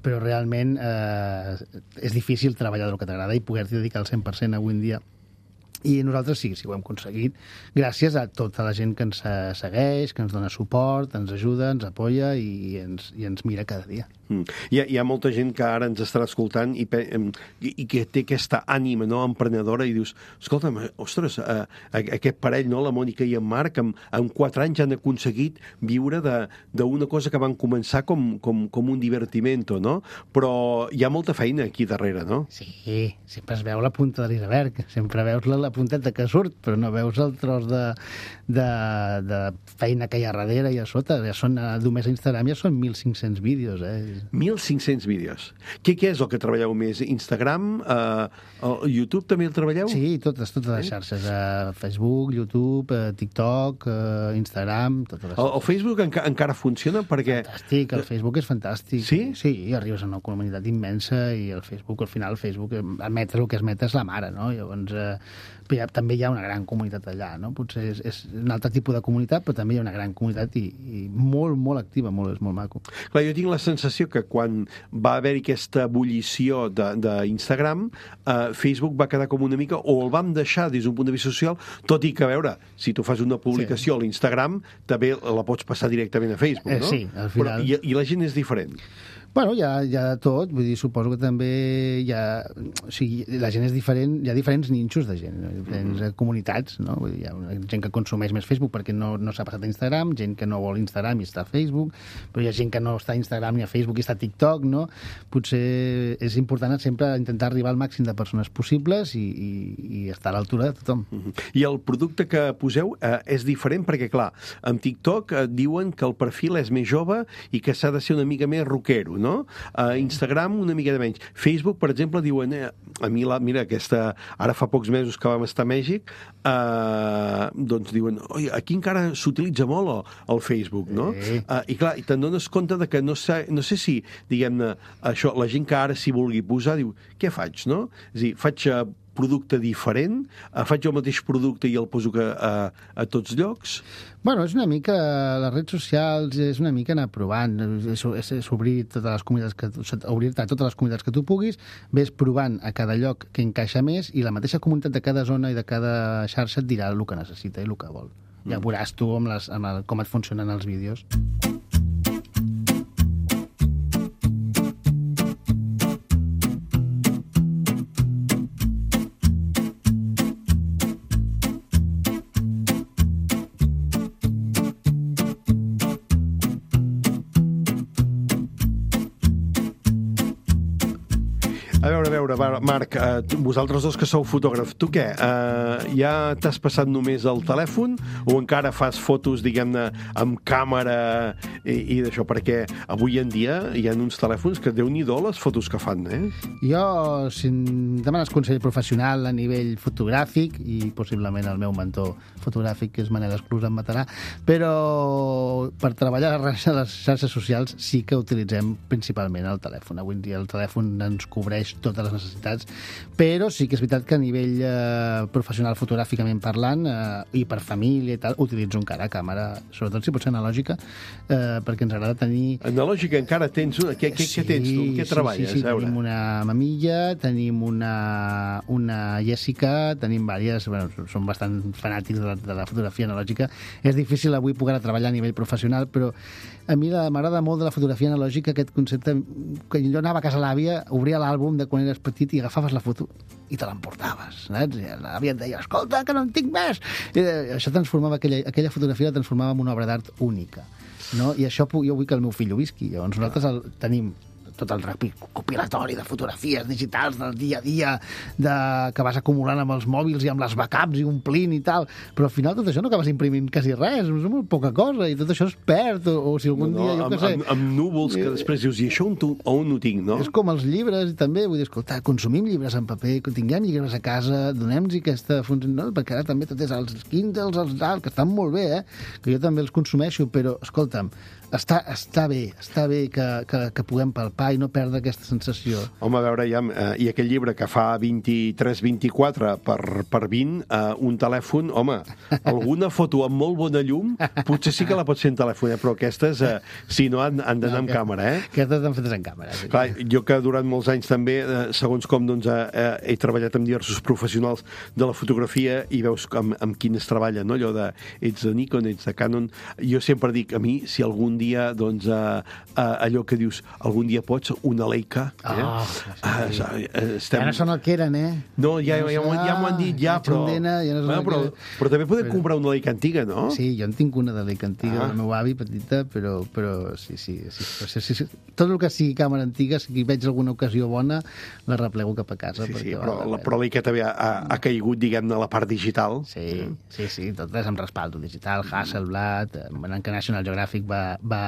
però realment eh, és difícil treballar del que t'agrada i poder-t'hi dedicar al cent per cent avui en dia. I nosaltres sí, sí ho hem aconseguit, gràcies a tota la gent que ens segueix, que ens dona suport, ens ajuda, ens apoya i ens, i ens mira cada dia. Mm. Hi, ha, hi ha molta gent que ara ens estarà escoltant i, i, i que té aquesta ànima, no?, emprenedora, i dius, escolta'm, ostres, eh, aquest parell, no?, la Mònica i en Marc, en, en quatre anys han aconseguit viure d'una cosa que van començar com, com, com un divertimento, no? Però hi ha molta feina aquí darrere, no? Sí, sempre es veu la punta de l'iceberg, sempre veus la, la punteta que surt, però no veus el tros de, de, de feina que hi ha darrere i a sota. Ja són, només a Instagram ja són mil cinc-cents vídeos, eh? mil cinc-cents vídeos. Què, què és el que treballeu més? Instagram? Uh, YouTube també el treballeu? Sí, totes, totes les xarxes. Uh, Facebook, YouTube, uh, TikTok, uh, Instagram, totes les xarxes. El, el Facebook enca encara funciona perquè... Fantàstic, el Facebook és fantàstic. Sí? Sí, arribes a una comunitat immensa i el Facebook, al final, el Facebook, emetre el que es meta és la mare, no? Llavors, uh, ja, també hi ha una gran comunitat allà, no? Potser és, és un altre tipus de comunitat, però també hi ha una gran comunitat i, i molt, molt activa, molt, és molt maco. Clar, jo tinc la sensació sensació que quan va haver-hi aquesta ebullició d'Instagram, eh, Facebook va quedar com una mica, o el vam deixar des d'un punt de vista social, tot i que, a veure, si tu fas una publicació sí. a l'Instagram, també la pots passar directament a Facebook, no? Eh, sí, al final... Però, i, I la gent és diferent. Bueno, hi ha, hi ha tot, vull dir, suposo que també hi ha... O sigui, la gent és diferent, hi ha diferents ninxos de gent, diferents mm. comunitats, no? Vull dir, hi ha gent que consumeix més Facebook perquè no, no s'ha passat a Instagram, gent que no vol Instagram i està a Facebook, però hi ha gent que no està a Instagram ni a Facebook i està a TikTok, no? Potser és important sempre intentar arribar al màxim de persones possibles i, i, i estar a l'altura de tothom. Mm-hmm. I el producte que poseu eh, és diferent perquè, clar, amb TikTok eh, diuen que el perfil és més jove i que s'ha de ser una mica més rockero, no? A Instagram una mica de menys. Facebook, per exemple, diuen, eh, a mi, la, mira, aquesta, ara fa pocs mesos que vam estar a Mèxic, eh, doncs diuen, oi, aquí encara s'utilitza molt el, el Facebook, no? Sí. Eh, I clar, i te'n dones compte de que no sé, no sé si, diguem-ne, això, la gent que ara s'hi vulgui posar, diu, què faig, no? És a dir, faig uh, producte diferent, uh, faig el mateix producte i el poso que, uh, a tots llocs. Bueno, és una mica, les redes socials és una mica anar provant, és, és, és obrir totes les comunitats que, obrir-te a totes les comunitats que tu puguis, ves provant a cada lloc que encaixa més i la mateixa comunitat de cada zona i de cada xarxa et dirà el que necessita i el que vol. Ja veuràs tu amb les, amb el, com et funcionen els vídeos. A veure, a veure, Marc, eh, vosaltres dos que sou fotògraf, tu què? Eh, ja t'has passat només el telèfon o encara fas fotos, diguem-ne, amb càmera i, i d'això? Perquè avui en dia hi ha uns telèfons que déu-n'hi-do les fotos que fan, eh? Jo, si em demanes consell professional a nivell fotogràfic, i possiblement el meu mentor fotogràfic, que és Manel Esclús, em matarà, però per treballar a les xarxes socials sí que utilitzem principalment el telèfon. Avui en dia el telèfon ens cobreix totes les necessitats, però sí que és veritat que a nivell eh, professional fotogràficament parlant eh, i per família i tal, utilitzo encara càmera, sobretot si pot ser analògica, eh, perquè ens agrada tenir... Analògica encara tens una? Què, sí, què tens tu? Què treballes? Sí, sí, sí. Tenim una Mamilla, tenim una, una Jessica, tenim diverses, bueno, som bastant fanàtics de la, de la fotografia analògica. És difícil avui poder treballar a nivell professional, però a mi m'agrada molt de la fotografia analògica aquest concepte que jo anava a casa l'àvia, obria l'àlbum de quan eres petit i agafaves la foto i te l'emportaves, saps? L'àvia et deia, escolta, que no en tinc més! I això transformava, aquella, aquella fotografia la transformava en una obra d'art única, no? I això jo vull que el meu fill ho visqui. Llavors nosaltres el, tenim tot el recopilatori de fotografies digitals del dia a dia de, que vas acumulant amb els mòbils i amb les backups i omplint i tal, però al final tot això no acabes imprimint quasi res, és molt poca cosa i tot això es perd, o, o si algun no, no, dia jo amb, què sé... Amb, amb núvols que després dius, i això on, tu, on ho tinc, no? És com els llibres, també, vull dir, escolta, consumim llibres en paper, tinguem llibres a casa, donem-los aquesta funció, no? Perquè ara també tot és els Kindles, els tal, que estan molt bé, eh? Que jo també els consumeixo, però, escolta'm, està, està bé, està bé que, que, que puguem palpar i no perdre aquesta sensació. Home, a veure, ja, eh, i aquell llibre que fa vint-i-tres vint-i-quatre per, per vint, eh, un telèfon, home, alguna foto amb molt bona llum, potser sí que la pots fer en telèfon, eh, però aquestes, eh, si no, han, han d'anar no, amb que, càmera, eh? Aquestes estan fetes en càmera. Sí. Clar, jo que durant molts anys també, eh, segons com, doncs, eh, he treballat amb diversos professionals de la fotografia i veus amb, amb quines treballen, no? Allò de, ets de Nikon, ets de Canon. Jo sempre dic, a mi, si algun dia, doncs, eh, eh, allò que dius, algun dia pots, una Leica. Eh? Oh, ah, sí. Estem... Ja no són el que eren, eh? No, ja, ja, ja, ja m'ho han dit, ja, però... Xondena, ja no bueno, però, que... però també podem però... comprar una Leica antiga, no? Sí, jo en tinc una de Leica antiga, ah. del meu avi, petita, però, però sí, sí, sí, sí, sí, sí. Tot el que sigui càmera antiga, si veig alguna ocasió bona, la replego cap a casa. Sí, sí, però, la, però Leica també ha, ha caigut, diguem-ne, la part digital. Sí, sí, sí, tot és amb respaldo digital, Hasselblad, que National Geographic va, va,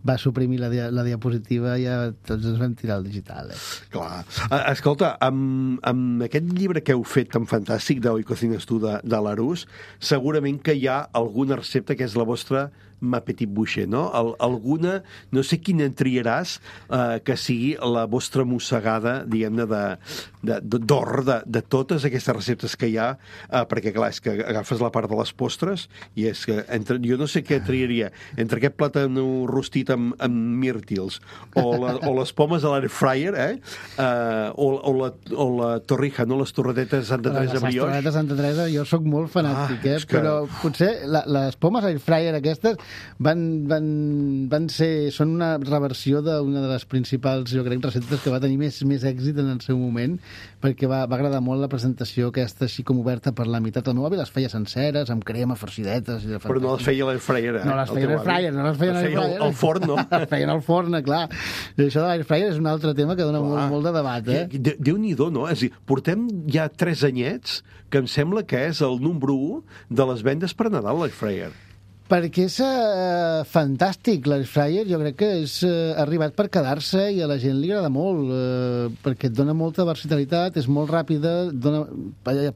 va suprimir la, dia, la diapositiva i ja tots ens vam tirar al digital. Eh? Clar. Escolta, amb, amb aquest llibre que heu fet tan fantàstic d'Hoy Cocinas Tu de, de l'Arús, segurament que hi ha alguna recepta que és la vostra ma petit boucher, no? Al, alguna, no sé quina en triaràs, eh, que sigui la vostra mossegada, diguem-ne, de, de, d'or de, de totes aquestes receptes que hi ha, eh, perquè, clar, és que agafes la part de les postres i és que entre, jo no sé què triaria, entre aquest plàtan rostit amb, amb mírtils o, la, o les pomes a l'air fryer, eh? Uh, o, o, la, o la torrija, no? Les torradetes de Santa Teresa brioix. Les torradetes de Santa Teresa, jo sóc molt fanàtic, ah, eh? Que... però potser la, les pomes air fryer aquestes van, van, van ser, són una reversió d'una de les principals, jo crec, receptes que va tenir més, més èxit en el seu moment, perquè va, va agradar molt la presentació aquesta així com oberta per la meitat. El meu avi les feia senceres, amb crema, farcidetes... I però no les feia l'air fryer, eh? No les feia l'air fryer, no les feia l'air fryer. Al forn, no? Les feien al forn, clar. I això de l'air fryer és un altre tema que dona molt, molt de debat, eh? De, Déu-n'hi-do, no? És a dir, portem ja tres anyets que em sembla que és el número u de les vendes per Nadal, l'air fryer. Perquè és uh, fantàstic, l'air fryer, jo crec que és uh, arribat per quedar-se i a la gent li agrada molt, uh, perquè et dona molta versatilitat, és molt ràpida, dona,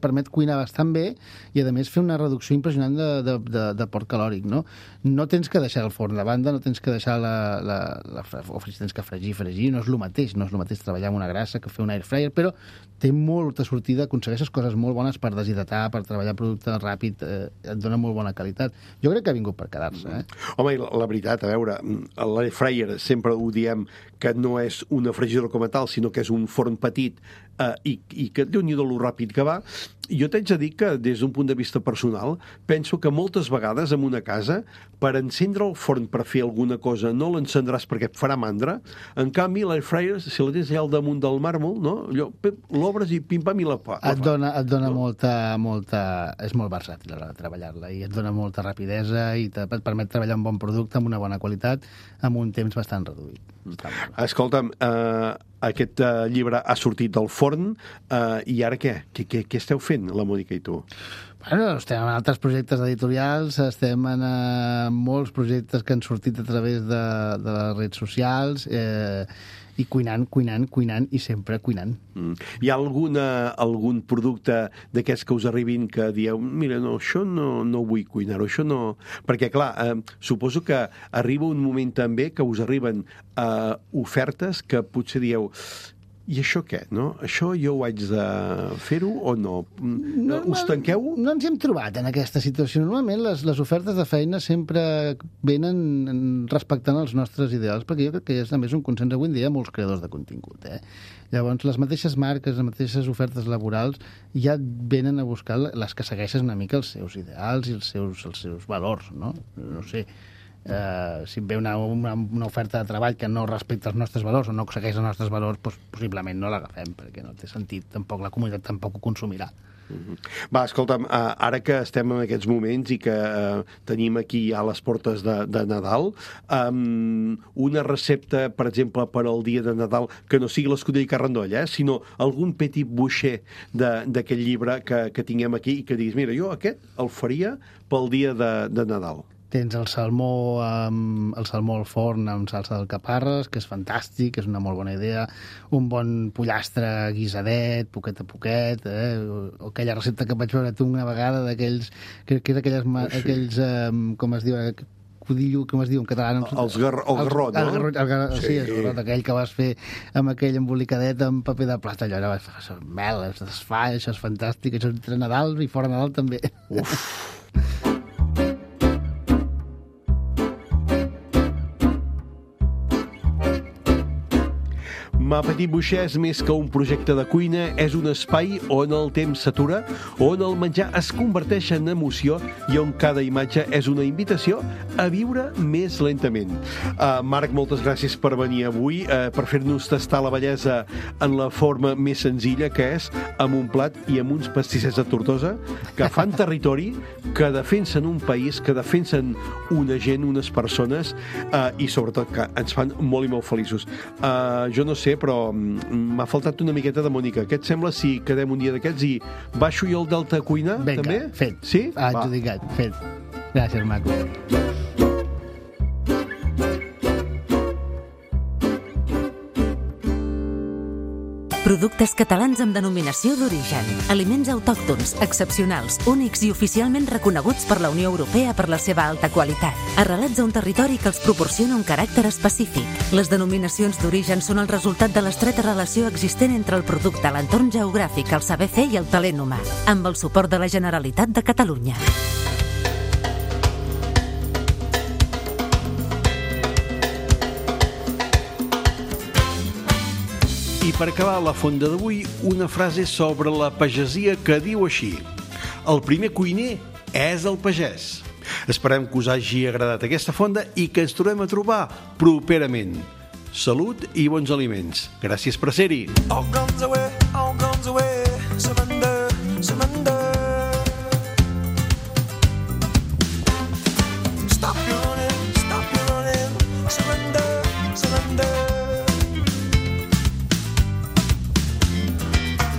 permet cuinar bastant bé i, a més, fer una reducció impressionant de, de, de, de port calòric, no? No tens que deixar el forn de banda, no tens que deixar la... la, la o tens que fregir, fregir, no és el mateix, no és el mateix treballar amb una grassa que fer un air fryer, però té molta sortida, aconsegueixes coses molt bones per deshidratar, per treballar producte ràpid, eh, et dona molt bona qualitat. Jo crec que ha vingut per quedar-se, eh? Home, la, la veritat, a veure, l'air fryer sempre ho diem que no és una fregidora com a tal, sinó que és un forn petit eh, i, i que déu-n'hi-do lo ràpid que va. Jo t'haig de dir que, des d'un punt de vista personal, penso que moltes vegades en una casa, per encendre el forn per fer alguna cosa, no l'encendràs perquè et farà mandra. En canvi, l'air fryer, si la tens allà al damunt del màrmol, no? Allò, l'obres i pim-pam i la fa. Et dona, et dona no? molta, molta... És molt versàtil a l'hora de treballar-la i et dona molta rapidesa i et permet treballar un bon producte amb una bona qualitat amb un temps bastant reduït. Escolta'm, eh, aquest eh, llibre ha sortit del forn eh, i ara què? Què, què? què esteu fent, la Mònica i tu? Bueno, estem en altres projectes editorials, estem en uh, molts projectes que han sortit a través de, de les redes socials eh, i cuinant, cuinant, cuinant i sempre cuinant. Mm. Hi ha alguna, algun producte d'aquests que us arribin que dieu, mira, no, això no, no vull cuinar-ho, això no... Perquè, clar, eh, suposo que arriba un moment també que us arriben eh, ofertes que potser dieu... I això què, no? Això jo ho haig de fer-ho o no? no Us tanqueu? No, no ens hem trobat en aquesta situació. Normalment les, les ofertes de feina sempre venen respectant els nostres ideals, perquè jo crec que és, a més, un consens avui en dia molts creadors de contingut, eh? Llavors, les mateixes marques, les mateixes ofertes laborals ja venen a buscar les que segueixen una mica els seus ideals i els seus, els seus valors, no? No sé... Uh, si ve una, una, una oferta de treball que no respecta els nostres valors o no segueix els nostres valors, doncs, possiblement no l'agafem, perquè no té sentit, tampoc la comunitat tampoc ho consumirà. Mm-hmm. Va, escolta'm, uh, ara que estem en aquests moments i que uh, tenim aquí ja les portes de, de Nadal, um, una recepta, per exemple, per al dia de Nadal, que no sigui l'escudella i carrandoll, eh, sinó algun petit boucher d'aquest llibre que, que tinguem aquí i que diguis, mira, jo aquest el faria pel dia de, de Nadal. Tens el salmó, amb, el salmó al forn amb salsa d'alcaparres, que és fantàstic, és una molt bona idea. Un bon pollastre guisadet, poquet a poquet, eh? O aquella recepta que vaig veure tu una vegada d'aquells... Que, que és aquelles... Oh, sí. aquells um, com es diu... Codillo, com es diu en català? No? Els gar, el garrot, no? El garrot, el garrot, sí, sí, el garrot, aquell que vas fer amb aquell embolicadet amb paper de plata. Allò era això, mel, es desfà, això és fantàstic, això és entre Nadal i fora Nadal també. Uf! Ma Petit Boucher és més que un projecte de cuina, és un espai on el temps s'atura, on el menjar es converteix en emoció i on cada imatge és una invitació a viure més lentament. Uh, Marc, moltes gràcies per venir avui, uh, per fer-nos tastar la bellesa en la forma més senzilla que és amb un plat i amb uns pastissets de Tortosa que fan territori, que defensen un país, que defensen una gent, unes persones uh, i sobretot que ens fan molt i molt feliços. Uh, jo no sé, però m'ha faltat una miqueta de Mònica. Què et sembla si quedem un dia d'aquests i baixo jo el Delta a cuinar? Vinga, també? fet. Sí? Adjudicat, fet. Gràcies, Marc. Productes catalans amb denominació d'origen. Aliments autòctons, excepcionals, únics i oficialment reconeguts per la Unió Europea per la seva alta qualitat. Arrelats a un territori que els proporciona un caràcter específic. Les denominacions d'origen són el resultat de l'estreta relació existent entre el producte, l'entorn geogràfic, el saber fer i el talent humà. Amb el suport de la Generalitat de Catalunya. I per acabar la fonda d'avui, una frase sobre la pagesia que diu així: el primer cuiner és el pagès. Esperem que us hagi agradat aquesta fonda i que ens tornem a trobar properament. Salut i bons aliments. Gràcies per ser-hi. All guns away, all guns away, surrender, surrender. Stop your running, stop your running, surrender, surrender.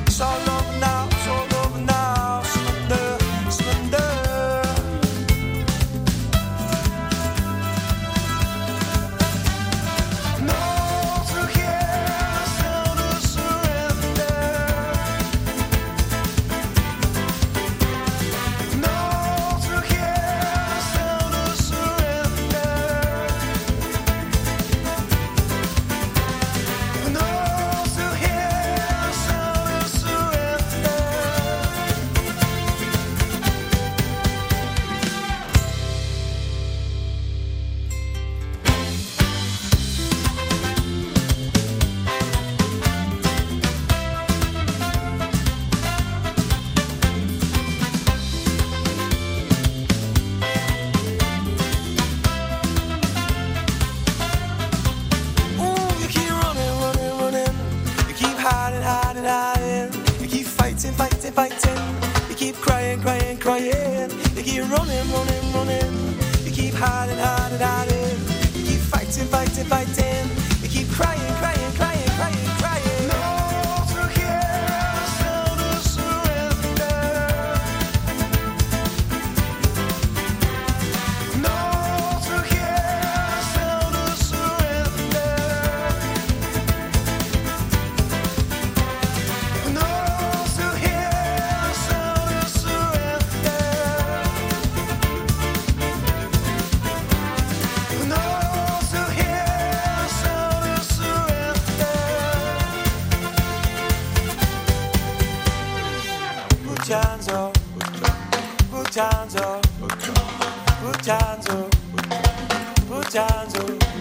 It's all over now, it's all over now, surrender, surrender. No, through here, sound of surrender. No, through here, sound of surrender. No, through here, sound of surrender. Ooh, you keep running, running, running. You keep hiding, hiding, hiding. You keep fighting, fighting, fighting. You keep crying, crying, crying. You keep running, running, running. You keep hiding, hiding, hiding. You keep fighting, fighting, fighting. You keep crying, crying, crying, crying, crying. No, through here, sound of surrender. No, through here, sound of surrender. No, through here, sound of surrender. No, through here, sound of surrender. Put your hands up, put your hands up, put your hands up, put your hands up.